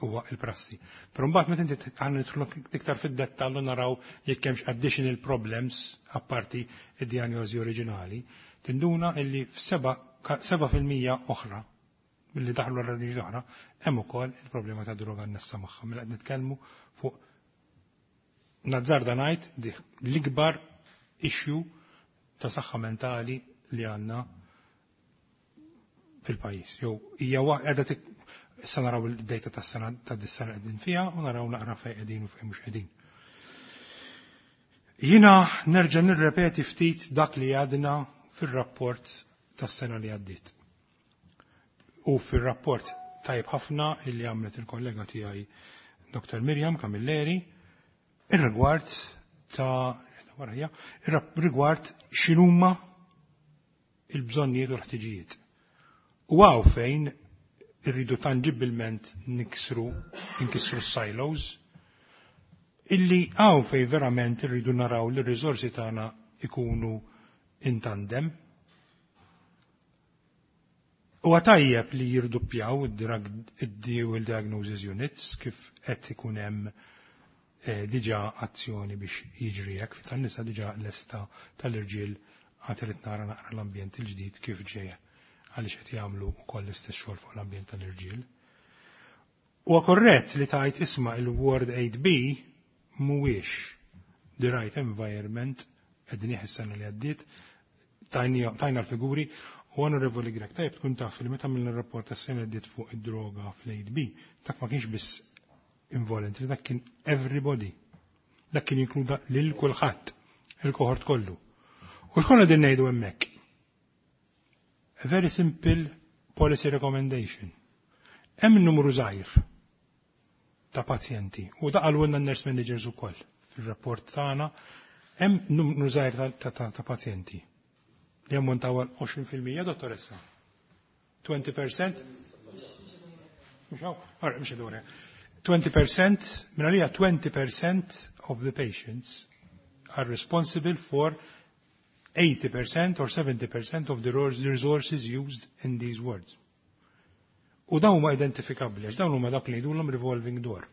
huwa il-prassi. Però mbagħad meta inti aħna nidħlu iktar fid-dettall u naraw jekk hemmx additional problems apparti id-diagnosi oriġinali, tinduna illi f'seba' fil-mija oħra billi daħlu għal oħra, hemm ukoll il-problema ta' droga annessa magħha. Mela qed nitkellmu fuq, nazzarda ngħid, l-ikbar issue ta' saħħa mentali li għandna fil-pajjiż. Jew hija qiegħda, issa naraw il-data tas-sena ta' dis-sena qegħdin fiha u naraw naqra fejn qegħdin u fejn mhux qegħdin. Jiena nerġa' nirrepeti ftit dak li għadna fir-rapport tas-sena li għaddiet. U fir-rapport tajb ħafna illi għamlet il-kollega tiegħi Doktor Mirjam Camilleri ir-rigward ta' warajja, ir-rigward x'inhuma il-bżonnijiet u l-ħtiġijiet. U hawn fejn irridu tangibilment niksru, nkissru silos, illi hawn fejn verament irridu naraw li r-riżorsi tagħna ikunu in tandem. U tajjeb li jirduppjaw id-drug diagnosis units kif qed ikun hemm eh, diġà azzjoni biex jiġri hekk, tan-nisa diġà lesta, tal-irġiel għad irid nara naqra l-ambjent il-ġdid kif ġejja, għaliex qed jagħmlu wkoll l-istess xogħol fuq l-ambjent tal-irġiel. Huwa korrett li tajt isma' il-Ward eight B mhuwiex the right environment, qegħdin is-sena li għaddiet, tajna l-figuri u, Onorevoli Grech, tajb tkun taf li meta mill rapport tas-sena għaddiet fuq id-droga fl-eight B, dak ma kienx biss involuntary, dak kien everybody. Dak kien jinkluda lil kulħadd, il-kohort kollu. U x'konna din ngħidu hemmhekk? A very simple policy recommendation. Hemm numru żgħir ta' pazjenti u da qalulna n-nurse managers ukoll fil-rapport tagħna, hemm numru żgħir ta', ta, ta pazjenti li jammontaw għal għoxrin fil-mija, dottoressa. twenty percent? Mhux hawn? Mhux twenty percent, minn għalija twenty percent of the patients are responsible for eighty percent or seventy percent of the resources used in these wards. U dawn huma identifikabbli, għax dawn huma dak li jgħidulhom revolving door.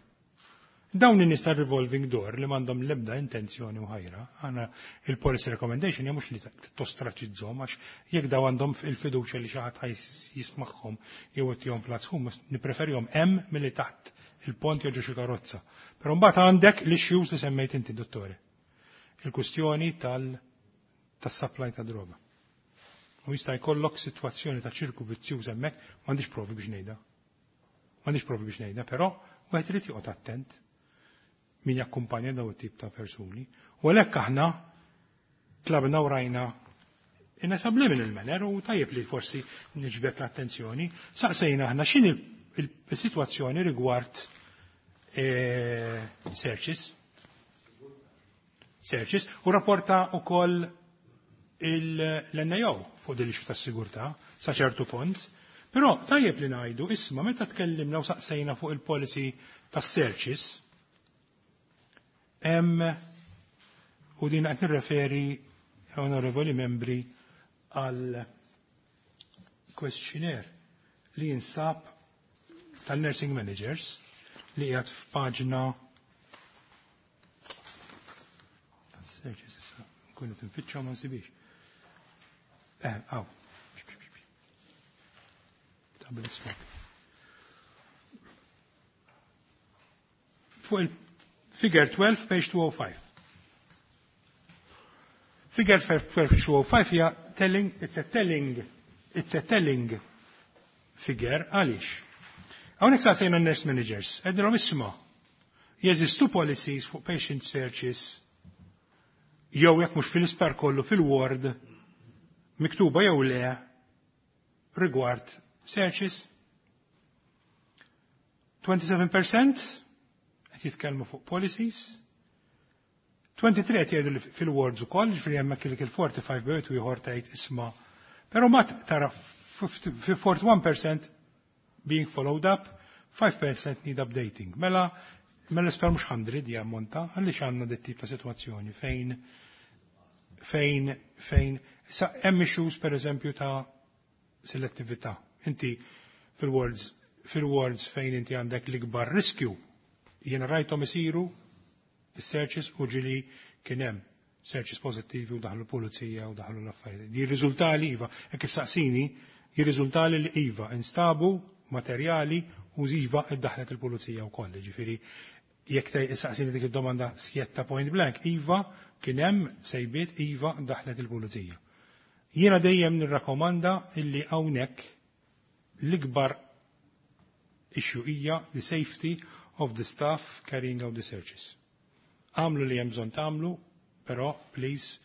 Dawn in-nies revolving door li m'għandhom l-ebda intenzjoni u ħajra, għana il-policy recommendation hija mhux li tostraċizzhom, għax jekk daw għandhom il-fiduċja li xi ħadd jismagħhom jew ittihom plac hum, nippreferihom hemm milli taħt il-pont jew xi karozza. Però mbagħad għandek l-issues li semmejt inti, dottore. Il-kwistjoni tal tas-supply ta' droga. U jista' jkollok sitwazzjoni ta' ċirku vizzjuż hemmhekk, m'għandix provi biex ngħidha. M'għandix provi biex ngħidha, però wieħed irid joqgħod attent min jakkumpanja daw it-tip ta' persuni. U għalhekk aħna tlabna u rajna in a subliminal manner, u tajjeb li forsi niġbed l-attenzjoni, saqsejna aħna x'inhi il-sitwazzjoni rigward eh, searches. Searches u rapporta ukoll l-N A O fuq din l tas-sigurtà sa ċertu punt. Però tajjeb li ngħidu isma' meta tkellimna u saqsejna fuq il-policy tas-searches, hemm, u din qed nirreferi, onorevoli membri, għal questionnaire li jinsab tal-nursing managers li qiegħed f'paġna tas-searches, issa nkunu tinfittxu ma nsibix. Eh, aw. Tablet stock. Fuq il-figure twelve, page two oh five. Figure twelve, two oh five hija telling, it's a telling, it's a telling figure. Għaliex? Hawnhekk saqsejna nurse managers, għednilhom isma', jeżistu policies fuq patient searches jew jekk mhux fil-isptar kollu fil-ward miktuba jew le rigward searches? twenty-seven percent qed jitkellmu fuq policies, twenty-three qed jgħidu li fil-wards ukoll, ġifieri hemmhekk il forty-five bejt u ieħor tgħid isma'. Però ma tara fi forty-one percent being followed up, five percent need updating. Mela Mela l-isptar mhux mija jammonta, għaliex għandna dit tip ta' sitwazzjoni fejn fejn fejn sa hemm issues, per eżempju, ta' selettività. Inti fil-wards fil-wards fejn inti għandek l-ikbar riskju, jiena rajthom isiru is-searches u ġili kien hemm searches pożittivi u daħlu pulizija u daħlu l-affarijiet. Jirriżultali iva, jekk issaqsini, jirriżultali li iva instabu materjali u iva iddaħlet il-pulizija wkoll. Ġifieri jekk issaqsini dik id-domanda skjetta, point blank, iva, kien hemm sejbiet, iva, daħlet il-pulizija. Jiena dejjem nirrakkomanda illi hawnhekk l-ikbar issue hija the safety of the staff carrying out the searches. Għamlu li hemm bżonn tagħmlu, però please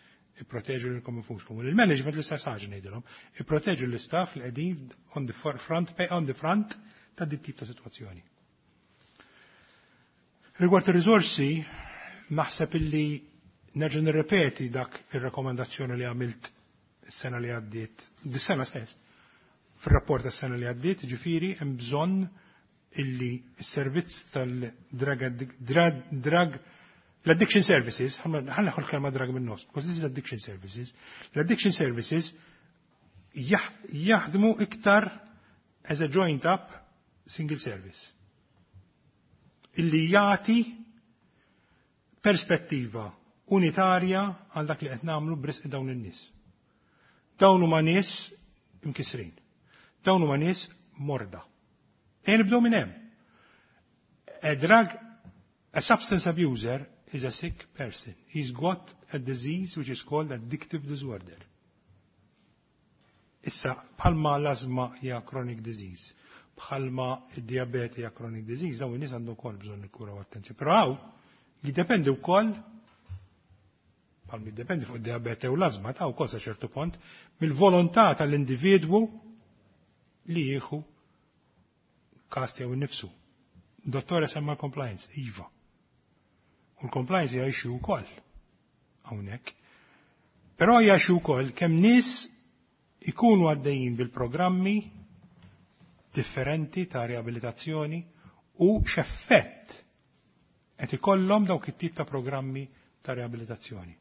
ipproteġu lilkom infuskom. U l-management l-istess ħaġa ngħidilhom, ipproteġu l-istaff li qegħdin on the front on the front ta' dit tip ta' sitwazzjoni. Rigward ir-riżorsi, naħseb illi nerġa' nirrepeti dak ir-rakkomandazzjoni li għamilt is-sena li għaddiet, dis-sena stess, fir-rapport tas-sena li għaddiet, ġifieri hemm bżonn illi s-servizz tal-drug drug l-addiction services, ħa neħħu l-kelma drug minn nofs, because this is addiction services, l-addiction services jaħdmu iktar as a joint up single service. Illi jagħti perspettiva unitarja għal dak li qed nagħmlu b'risq dawn in-nies. Dawn huma nies imkisrin. Dawn huma nies morda. Ejja nibdew minn hemm. A drug, a substance abuser is a sick person. He's got a disease which is called addictive disorder. Issa, bħalma l-azma hija chronic disease, bħalma id-diabete hija chronic disease, dawn in-nies għandhom ukoll bżonn il-kura u attenzjoni. Però hawn jiddependi wkoll, bħalma jiddependi fuq id-diabete u l-azma ta' wkoll sa ċertu punt, mill-volontà tal-individwu li jieħu kas tiegħu nnifsu. Dottore semma compliance, iva. U l-compliance hija issue wkoll hawnhekk. Però hija issue wkoll kemm nies ikunu għaddejjin bil-programmi differenti ta' riabilitazzjoni u x'effett qed ikollhom dawk it-tip ta' programmi ta' riabilitazzjoni.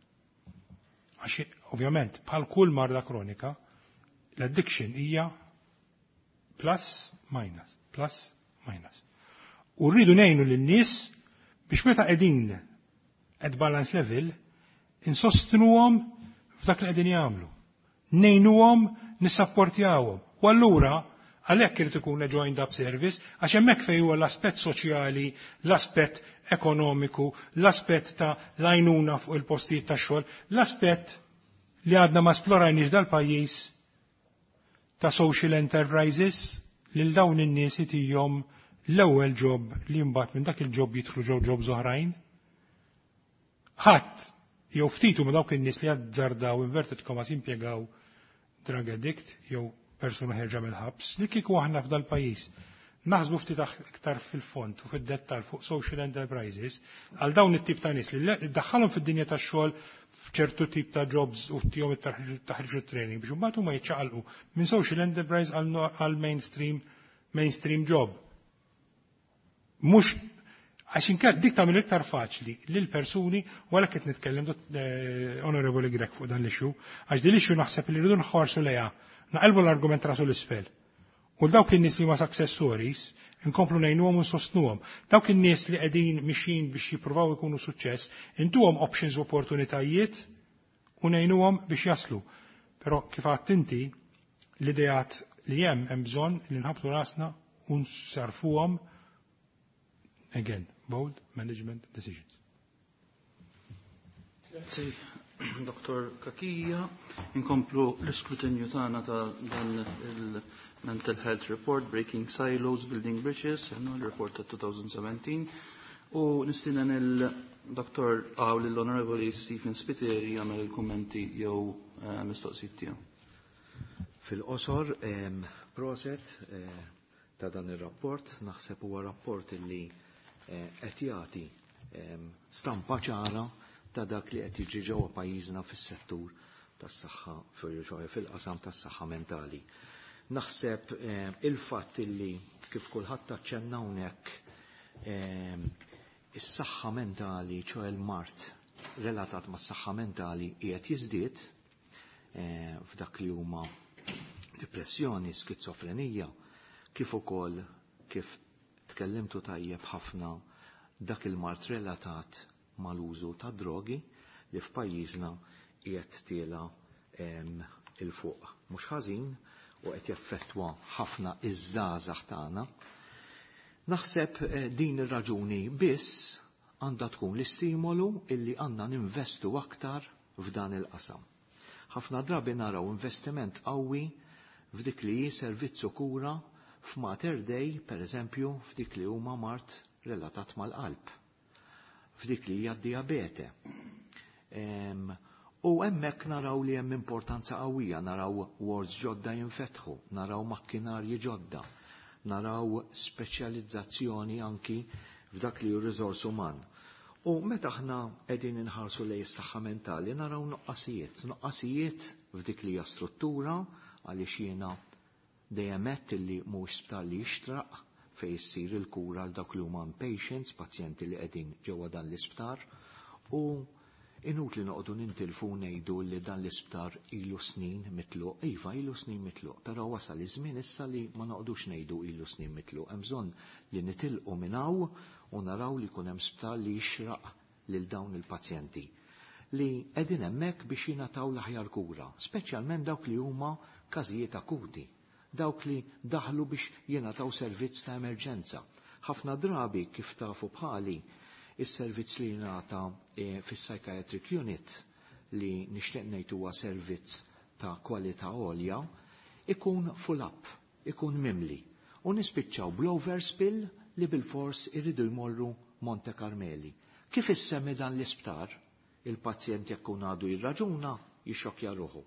Għax ovvjament bħal kull marda kronika, l-addiction hija plus minus, plus minus. U rridu ngħinu lin-nies biex meta qegħdin at balance level insostnuhom f'dak li qegħdin jagħmlu. Ngħinuhom, nissapportjawhom. U allura għalhekk irid ikun joined up service, għax hemmhekk fejn huwa l-aspett soċjali, l-aspett ekonomiku, l-aspett ta' l-għajnuna fuq il-postijiet ta' xogħol, l-aspett li għadna ma splorajniex dal-pajjiż ta' social enterprises lil dawn in-nies itihom l-ewwel job li mbagħad minn dak il-job jidħlu ġew jobs oħrajn. Ħadd jew ftitu ma dawk in-nies li jazzardaw, inverted commas, impjegaw drug addict jew persuna ħerġa mill-ħabs, li kieku aħna f'dal pajjiż naħsbu ftit iktar fil-fond u fid-dettal fuq social enterprises għal dawn it-tip ta' nies li daħħalhom fid-dinja tax-xogħol f'ċertu tip ta' jobs u tihom it-taħriġ u training biex imbagħad huma jiċċaqalqu minn social enterprise għal mainstream mainstream job. Mhux għax inkella dik tagħmel iktar faċli lil persuni, u għalhekk qed nitkellem, eh, Onorevoli Grech, fuq dan l-issue, għax din l-issue naħseb li rridu nħarsu lejha, naqelbu l-argument rasu l-isfel. U dawk in-nies li ma success stories, inkomplu ngħinuhom u nsostnuhom. Dawk in-nies li qegħdin mixin biex jippruvaw ikunu suċċess, intuhom options u opportunitajiet u ngħinuhom biex jaslu. Però kif għedt inti, l-ideat li hemm, hemm bżonn li nħabtu rasna u nsarfuhom, again, bold management decisions. Grazzi, Dottor Cachia. Inkomplu l-iskrutinju tagħna ta' dan il-Mental Health Report, Breaking Silos, Building Bridges, l-report ta' elfejn u sbatax. U nistieden il-Dottor għaw l-Onorevoli Stephen Spiteri jagħmel il-kummenti jew eh, mistoqsijiet tiegħu. Fil-qosor, proset eh, ta' dan ir-rapport, naħseb huwa rapport illi eh, qed jagħti stampa ċara ta' dak li qed jiġri ġewwa pajjiżna fis-settur tas-saħħa, fil-qasam tas-saħħa mentali. Naħseb il-fatt illi kif kulħadd aċċenna hawnhekk Is-saħħa mentali, ċoè l-mard relatat mas-saħħa mentali qiegħed jiżdied eh, f'dak li huma depressjoni, skizofrenija, kif ukoll kif tkellimtu tajjeb ħafna dak il-mard relatat mal-użu ta' drogi li f'pajjiżna qiegħed tiela 'il fuq. Mhux ħażin u qed jaffettwa ħafna iż-żgħażagħ tagħna. Naħseb eh, din ir-raġuni biss għandha tkun l-istimolu illi għandna ninvestu aktar f'dan il-qasam. Ħafna drabi naraw investiment qawwi f'dik li hi servizzu kura f'Mater Dei, per eżempju, f'dik li huma mard relatat mal-qalb, f'dik li hija diabete. U hemmhekk naraw li hemm importanza qawwija, naraw wards ġodda jinfetħu, naraw makkinarji ġodda, naraw speċjalizzazzjoni anki f'dak li hu riżors uman. U meta aħna qegħdin inħarsu lejn is-saħħa mentali naraw nuqqasijiet, nuqqasijiet f'dik li hija struttura għaliex jiena dejjem għedt illi mhux sptar li jixtraq fejn issir il-kura għal dawk li huma patients, pazjenti li qegħdin ġewwa dan l-isptar u inutli noqogħdu nintilfu ngħidu li dan l-isptar ilu snin mitluq. Iva, ilu snin mitluq, però wasal iż-żmien issa li ma noqogħdux ngħidu ilu snin mitluq. Hemm bżonn li nitilqu minn hawn u naraw li jkun hemm sptar li jixraq lil dawn il-pazjenti li qegħdin hemmhekk biex jingħataw l-aħjar kura, speċjalment dawk li huma każijiet akuti, dawk li daħlu biex jingħataw servizz ta' emerġenza. Ħafna drabi kif tafu bħali is-servizz li jingħata eh, fis-psychiatric unit li nixtieq ngħid huwa servizz ta' kwalità għolja, ikun full up, ikun mimli. U nispiċċaw bl-overspill li bil-fors irridu jmorru Monte Carmeli. Kif issemmi dan l-isptar, il-pazjent jekk għadu jirraġuna, jixxokja ruħu.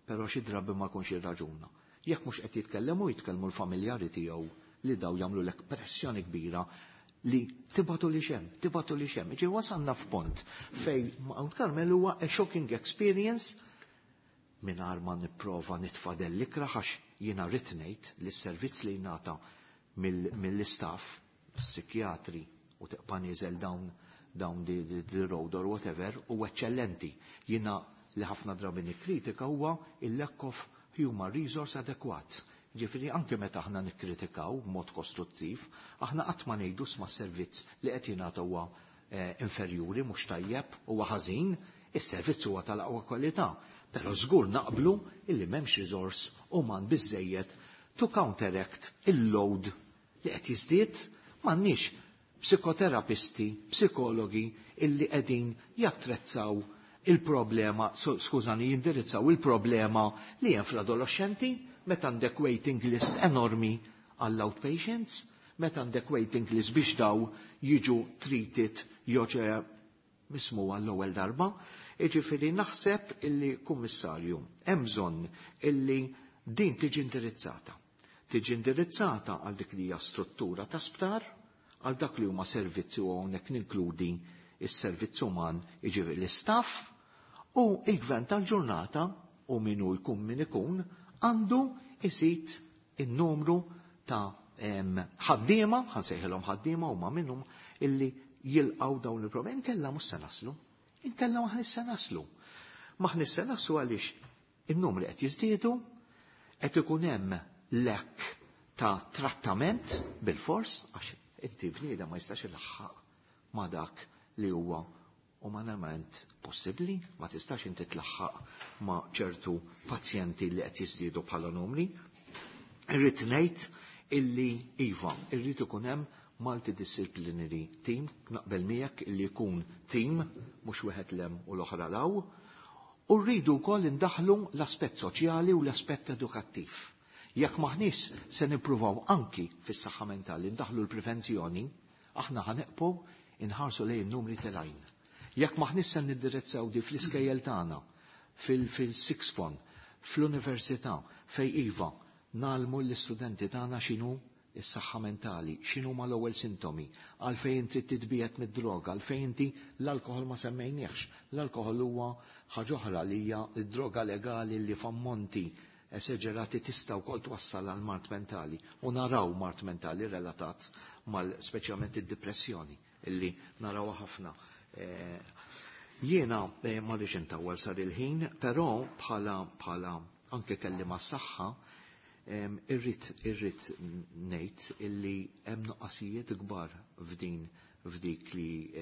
Però xi drabi ma jkunx jirraġuna. Jekk mhux qed jitkellemu jitkellmu l-familjari tiegħu li daw jagħmlu lek pressjoni kbira li tibagħtu li xem, tibagħtu li xem. Ġi wasalna f'punt fej Mount Carmel huwa a shocking experience mingħajr ma nipprova nitfadel l-ikrah għax jiena rrid ngħid li s-servizz li jingħata mill-istaff, psikjatri u tibqa' nieżel down down the, the, the road or whatever, u eccellenti. Jiena li ħafna drabi nikkritika huwa il-lack of human resource adekwat. Ġifieri anke meta aħna nikkritikaw b'mod kostruttiv, aħna qatt ma ngħidu sma servizz li qed jingħata huwa eh, inferjuri mhux tajjeb huwa ħażin, is-servizz huwa tal-aqwa kwalità. Però żgur naqblu illi m'hemmx resource uman biżejjed to counteract il-load li qed jiżdied m'għandniex psikoterapisti, psikologi illi qegħdin jattrezzaw il-problema, skużani, jindirizzaw il-problema li hemm fl-adolescenti meta għandek waiting list enormi għall-outpatients, meta għandek waiting list biex daw jiġu treated joġe mismu għall-ewwel darba. Jiġifieri naħseb illi kummissarju hemm bżonn illi din tiġi indirizzata. Tiġi indirizzata għal dik li hija struttura ta' sptar, għal dak li huma servizzi u hawnhekk ninkludi is-servizz uman jiġifieri l-istaff u il-gvern tal-ġurnata u minu jkun min ikun għandu iżid in-numru ta' ħaddiema, ħa nsejħilhom ħaddiema huma minnhom illi jilqaw dawn il-problemi. Inkella mhux se naslu. Inkella maħniex se naslu. Maħniex se naslu għaliex in-numri qed jiżdiedu, qed ikun hemm lack ta' trattament bil-fors, għax inti bniedem ma jistax ilaħħaq ma' dak li huwa umanament possibbli, ma tistax inti tlaħħaq ma' ċertu pazjenti li qed jiżdiedu bħala numri. Irrid ngħid illi iva, irrid ikun hemm multidisciplinary team, naqbel miegħek illi jkun team mhux wieħed 'l hemm u l-oħra 'l hawn, u rridu wkoll indaħlu l-aspett soċjali u l-aspett edukattiv. Jekk maħniex se nippruvaw anki fis-saħħa mentali ndaħlu l-prevenzjoni, aħna ħa nibqgħu inħarsu lejn numri telgħin. Jekk maħniex se nindirizzaw di fl-iskejjel tagħna, fil-sixth form, fl-università, fej iva, ngħallmu l-istudenti tagħna x'inhu is-saħħa mentali, x'inhu ma l-ewwel sintomi, għalfejn inti titbiegħed mid-droga, għalfejn inti l-alkoħol ma semmejniex. L-alkoħol huwa ħaġa oħra li hija d-droga legali li f'ammonti esaġerati tista' wkoll twassal għal mard mentali u naraw mard mentali relatat mal speċjalment id-depressjoni illi narawha ħafna. Eh, jiena eh, ma rridx intawwal sar il-ħin, però bħala bħala anke kelli mas-saħħa irrid irrid ngħid illi hemm nuqqasijiet kbar f'din f'dik li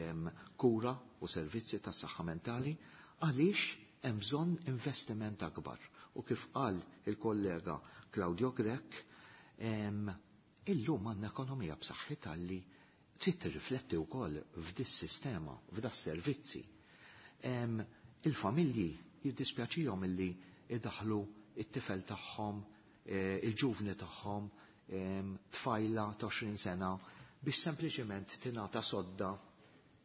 kura u servizzi tas saħħa mentali għaliex hemm bżonn investiment akbar. U kif qal il-kollega Claudio Grech, illum għandna ekonomija b'saħħitha li trid tirrifletti wkoll f'dis-sistema, f'das-servizzi. Il-familji jiddispjaċihom illi idaħlu it-tifel tagħhom, eh, il-ġuvni tagħhom, tfajla ta' għoxrin sena biex sempliċement tingħata sodda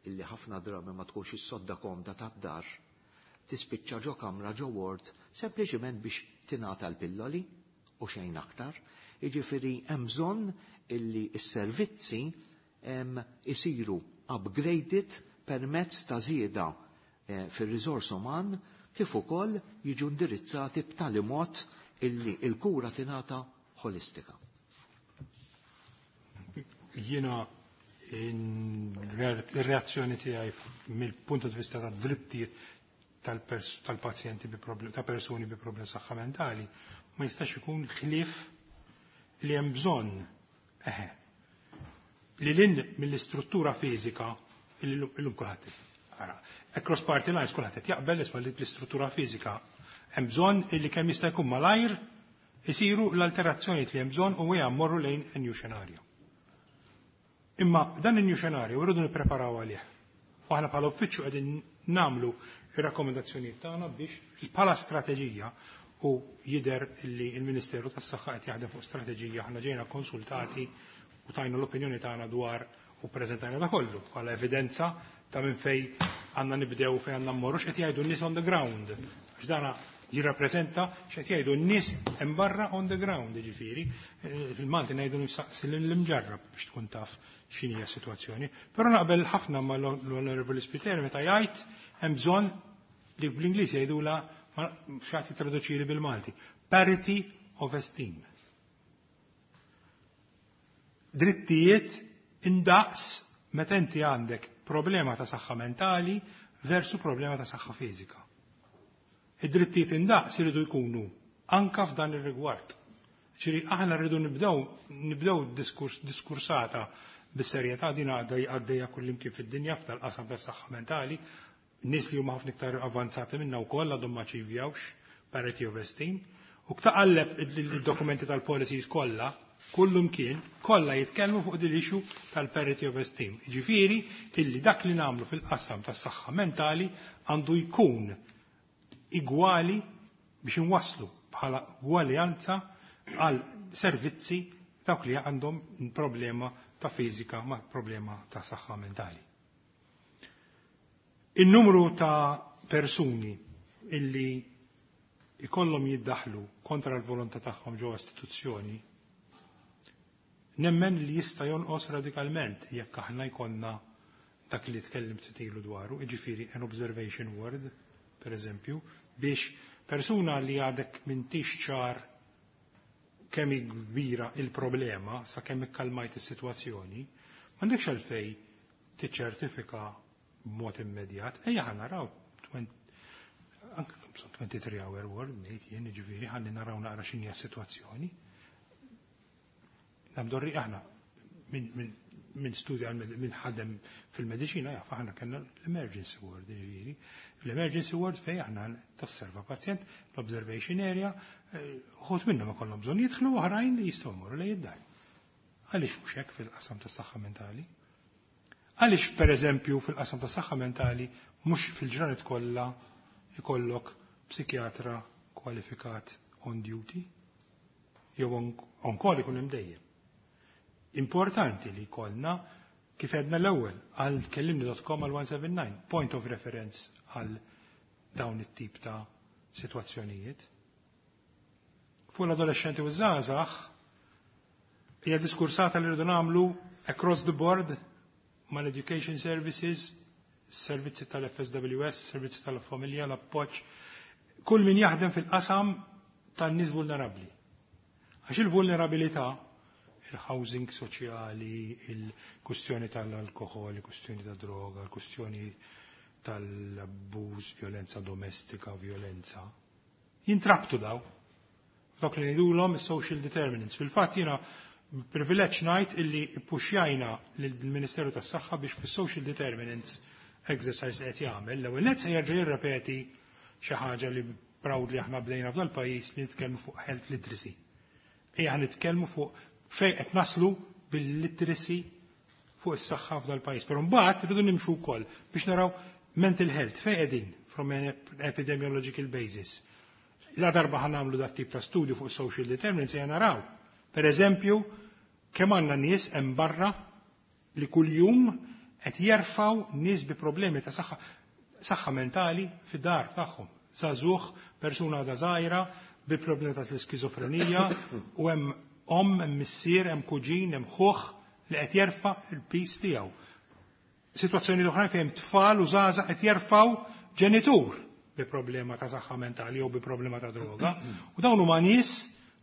illi ħafna drabi ma tkunx is-sodda komda tad-dar, tispiċċa ġo kamra ġo ward sempliċement biex tingħata l-pilloli u xejn aktar. Jiġifieri hemm bżonn illi s-servizzi isiru upgraded permezz ta' żieda eh, fir-riżors uman kif ukoll jiġu indirizzati b'tali mod illi il-kura tingħata ħolistika. Jiena ir-reazzjoni tiegħi mill-punt di vista ta' drittijiet tal-pazjenti bi ta' persuni bi problemi saħħa mentali ma jistax ikun ħlief li hemm bżonn eħe li lin mill-istruttura fiżika illum kulħadd ara across party lines kulħadd qed jaqbel isma' li l-istruttura fiżika hemm bżonn illi kemm jista' jkun malajr isiru l-alterazzjonijiet li hemm bżonn u hija mmorru lejn a new scenario. Imma dan il-new scenario rridu nippreparaw għalih. U aħna bħala uffiċċju qegħdin nagħmlu ir-rakkomandazzjonijiet tagħna biex bħala strateġija u jidher li l-Ministeru tas-Saħħa qed jaħdem fuq strateġija, aħna ġejna konsultati u tajna l-opinjoni tagħna dwar u preżentajna da kollu bħala evidenza ta' minn fej għandna nibdew fejn għandna mmorru x'qed jgħidu n-nies on the ground. Għax dana jirrappreżenta x'qed jgħidu n-nies hemm barra on the ground, jiġifieri, fil-Malti ngħidu nistaqsi l-imġarrab biex tkun taf x'inhi s-sitwazzjoni. Però naqbel ħafna mal-Onorevoli Spiteri meta jgħid hemm bżonn li bl-Ingliż jgħidula x'għad jitraduċili bil-Malti. Parity of esteem. Drittijiet indaqs meta inti għandek problema ta' saħħa mentali versu problema ta' saħħa fiżika. Id-drittijiet indaqs iridu jkunu anka f'dan ir-rigward. Ġifieri aħna rridu nibdew nibdew diskurs, diskursata bis-serjetà din għaddejja kullimkien fid-dinja f'tal-qasam tas-saħħa mentali, nies li huma ħafna iktar avanzati minna wkoll għadhom ma achievjawx parity of esteem. U ktaqalleb id-dokumenti tal-policies kollha, kullum kien, kollha jitkellmu fuq din issue tal-parity of esteem. Ġifieri illi dak li nagħmlu fil-qasam tas-saħħa mentali għandu jkun igwali biex inwasslu bħala gwaljanza għal servizzi dawk li għandhom problema ta' fiżika ma' problema ta' saħħa mentali. Il-numru ta' persuni illi ikollhom jiddaħlu kontra l-volontà tagħhom ġewwa istituzzjoni nemmen li jista' jonqos radikalment jekk aħna jkollna dak li tkellimt titilu dwaru, jiġifieri an observation ward, per eżempju, biex persuna li għadek m'intix ċar kemm kbira il-problema sa kemm ikkalmajt is-sitwazzjoni, m'għandekx għalfej tiċċertifika b'mod immedjat, ejja ħa naraw anke twenty-three hour ward ngħid jien, jiġifieri ħalli naraw naqra x'inhi s-sitwazzjoni. Nabdorri aħna minn min studja minn ħadem fil-mediċina jaf aħna kellna l-emergency ward, jiġifieri. L-emergency ward fej aħna tosserva pazjent, l-observation area, uħud minnhom ikollhom bżonn jidħlu, oħrajn li jistgħu jmorru lejn id-dar. Għaliex mhux hekk fil-qasam tas-saħħa mentali? Għaliex pereżempju fil-qasam tas-saħħa mentali mhux fil-ġranet kollha ikollok psikjatra kwalifikat on duty jew on call ikun hemm dejjem. Importanti li jkollna kif għedna l-ewwel għal kellimni dot com għal one seven nine, point of reference għal dawn it-tip ta' sitwazzjonijiet. Fuq l-adolescenti u żgħażagħ hija diskursata li rridu nagħmlu across the board mal-education services, servizzi tal-F S W S, servizzi tal-familja, l-appoġġ, kull min jaħdem fil-qasam tan-nies vulnerabbli. Għax il-vulnerabilità Il-housing soċjali, il-kustjoni tal-alkohol, il-kustjoni ta' droga, il-kustjoni tal-abbuż, violenza domestika, violenza. Jintrabtu daw. Dawk li ngħidulhom is-social determinants. Fil-fatt jiena privileġġ ngħid illi ppuxjajna lill-Ministeru tas-Saħħa biex fis-social determinants exercise qed jagħmel, l-ewwel nett se jerġa' jirrepeti xi ħaġa li proudly aħna bdejna f'dal pajjiż li nitkellmu fuq health literacy. Ejja nitkellmu fuq fejn qed naslu bil-literacy fuq is-saħħa f'dal pajjiż. Però mbagħad irridu nimxu wkoll biex naraw mental health fejn qegħdin from an epidemiological basis. La darba ħa nagħmlu dat tip ta' studju fuq social determinants ejja naraw. Per eżempju, kemm għandna nies hemm barra li kuljum qed jerfgħu nies bi problemi ta' saħħa saħħa mentali fid-dar tagħhom. Żagħżugħ, persuna għadha żgħira bi problemi ta' l-iskizofrenija u hemm omm, hemm missier, hemm kuġin, hemm ħuħ li qed jerfa' il-piż tiegħu. Sitwazzjoni oħrajn fejn tfal u żgħażagħ qed jerfgħu ġenitur bi problema ta' saħħa mentali jew bi problema ta' droga. U dawn huma nies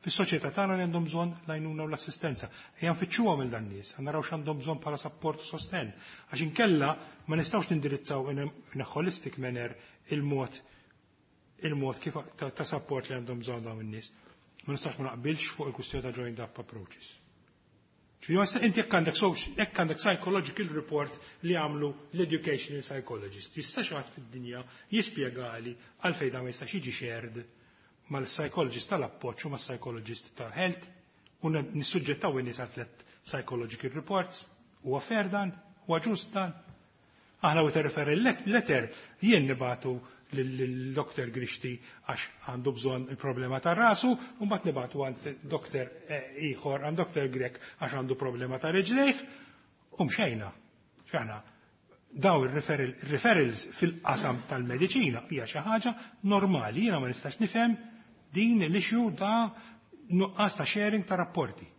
fis-soċjetà tagħna li għandhom bżonn l-għajnuna u l-assistenza. Ejja nfittxuhom il dan nies, naraw x'għandhom bżonn bħala sapport u sostenn. Għax inkella ma nistgħux nindirizzaw in a holistic manner il-mod il-mod kif ta', ta support li għandhom bżonn dawn in-nies. Ma nistax ma naqbilx fuq il-kwistjoni ta' joined up approaches. Ġifieri inti jekk għandek jekk għandek psychological report li għamlu l-educational psychologist, jista' xi ħadd fid-dinja jispjegali għalfejn dan ma jistax jiġi shared mal-psychologist tal-appoġġ u mas-psychologist tal-health u nissuġġettaw in-nies għal tliet psychological reports? Huwa fair dan? Huwa ġust dan? Aħna u referral letter jien nibagħtu lil-Doktor Grixti għax għandu bżonn il-problema ta' rasu, u mbagħad nibagħtu għand doktor ieħor, għand Doktor Grech għax għandu problema ta' riġlejh, u mxejna. X'aħna daw il-referrals fil-qasam tal-mediċina hija xi ħaġa normali, jiena ma nistax nifhem din l-issue ta' nuqqas ta' sharing ta' rapporti.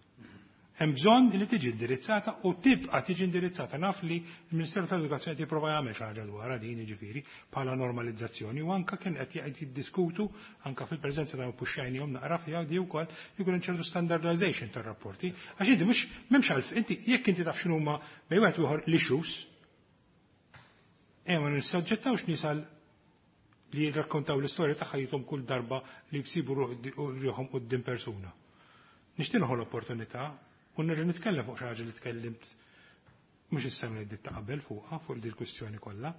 Hemm bżonn li tiġi indirizzata u tibqa' tiġi indirizzata. Naf li l-Ministeru tal-Edukazzjoni jipprova jagħmel xi ħaġa dwarha din, jiġifieri bħala normalizzazzjoni, u anke kien qed qed jiddiskutu anke fil-preżenza ta' puxxajnihom naqra fiha di wkoll jkun hemm ċertu standardization tar-rapporti. Għax inti mhux m'hemmx għalf inti jekk inti taf x'inhuma bejn wieħed ieħor l-issues, ejja ma nissoġġettawx nies għal li jirrakkontaw l-istorja ta' ħajjithom kull darba li jsibu ruħhom quddiem persuna. Nixtieq nieħu l-opportunità u nerġa' nitkellem fuq xi ħaġa li tkellimt mhux is-sena li ta' qabel fuqha, fuq din il-kwistjoni kollha,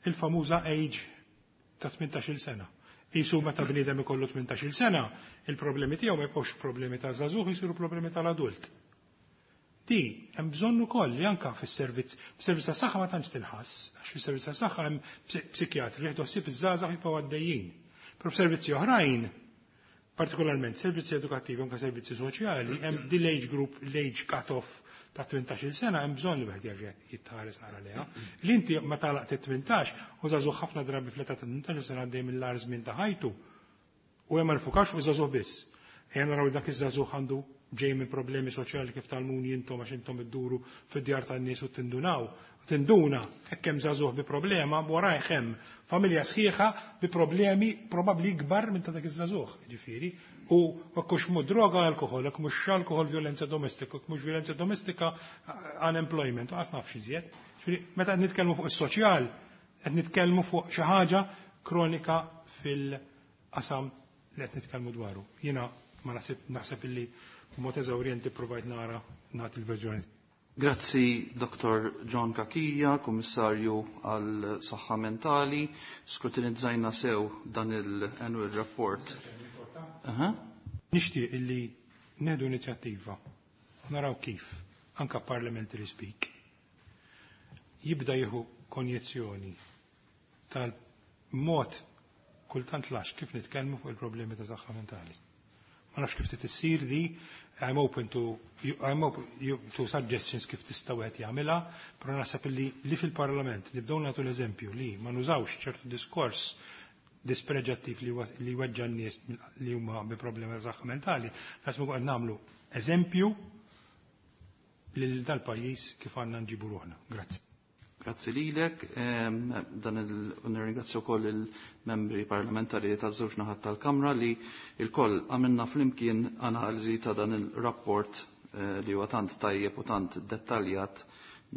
il-famuża age ta' tmintax-il sena. Isu meta bniedem ikollu tmintax-il sena, il-problemi tiegħu ma jibqgħux problemi ta' żagħżugħ, jsiru problemi tal-adult. Di, hemm bżonn ukoll li anka fis-servizz, fis-servizz ta' saħħa ma tantx tinħass, għax fis-servizz ta' saħħa hemm psikjatri jieħdu ħsieb iż-żgħażagħ, jibqgħu għaddejjin. Però f'servizzi oħrajn, partikolarment servizzi edukattivi, anke servizzi soċjali, hemm din l-age group, l-age cut-off ta' tmintax-il sena, hemm bżonn li wieħed jerġa' jitħares nara leha. Li inti ma tagħlaq tmintax u żagħżugħ ħafna drabi fl-età ta' tmintax-il sena għaddej mill-agħar żmien ta' ħajtu. U hemm ma nfukax fuq żagħżugħ biss. Ejja naraw dak iż-żagħżugħ għandu ġej minn problemi soċjali, kif tgħallmuni intom għax intom idduru fid-djar tan-nies u tindunaw. Tinduna, hekk hemm żagħżugħ bi problema, warajh hemm familja sħiħa bi problemi probabbli ikbar minn ta' dak iż-żagħżugħ, ġifieri. U jekk hux mu droga, alkohol, jekk mhux alkohol, violenza domestika, jekk mhux violenza domestika, unemployment, u qas naf x'iżjed. Ġifieri, meta qed nitkellmu fuq is-soċjal, qed nitkellmu fuq xi ħaġa kronika fil-qasam li qed nitkellmu dwaru. Jiena ma naħseb naħseb illi b'mod eżawrjenti provajt nara nagħti l-verżjoni. Grazzi Doktor John Cachia, Kummissarju għal Saħħa Mentali. Skrutinizzajna sew dan il-annual report. Aha. Nixtieq illi nieħdu inizjattiva, naraw kif, anka parliamentary speak, jibda jieħu konjezzjoni tal-mod kultant lax kif nitkellmu fuq il-problemi ta' saħħa mentali. Ma nafx kif tissir di, I'm open to, I'm open to suggestions kif tista' wieħed jagħmilha, però naħseb li li fil-Parlament nibdew nagħtu l-eżempju li ma nużawx ċertu diskors dispreġattiv li li weġġa' n-nies li huma bi problemi ta' saħħa mentali, naħseb qed nagħmlu eżempju lil dal-pajjiż kif għandna nġibu ruħna. Grazzi. Grazzi lilek, dan il nirringrazzja wkoll il-membri parlamentari taż-żewġ naħat tal-Kamra li il-koll għamilna flimkien analiżi ta' dan il-rapport. eh, li huwa tant tajjeb u tant dettaljat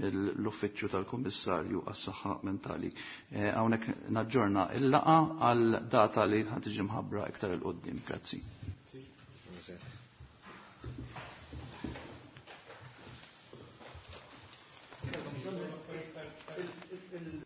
mill-Uffiċċju tal-Kummissarju għas-Saħħa Mentali. Eh, hawnhekk naġġorna il-laqa għal data li ħad tiġi mħabbra iktar il qoddim. Grazzi.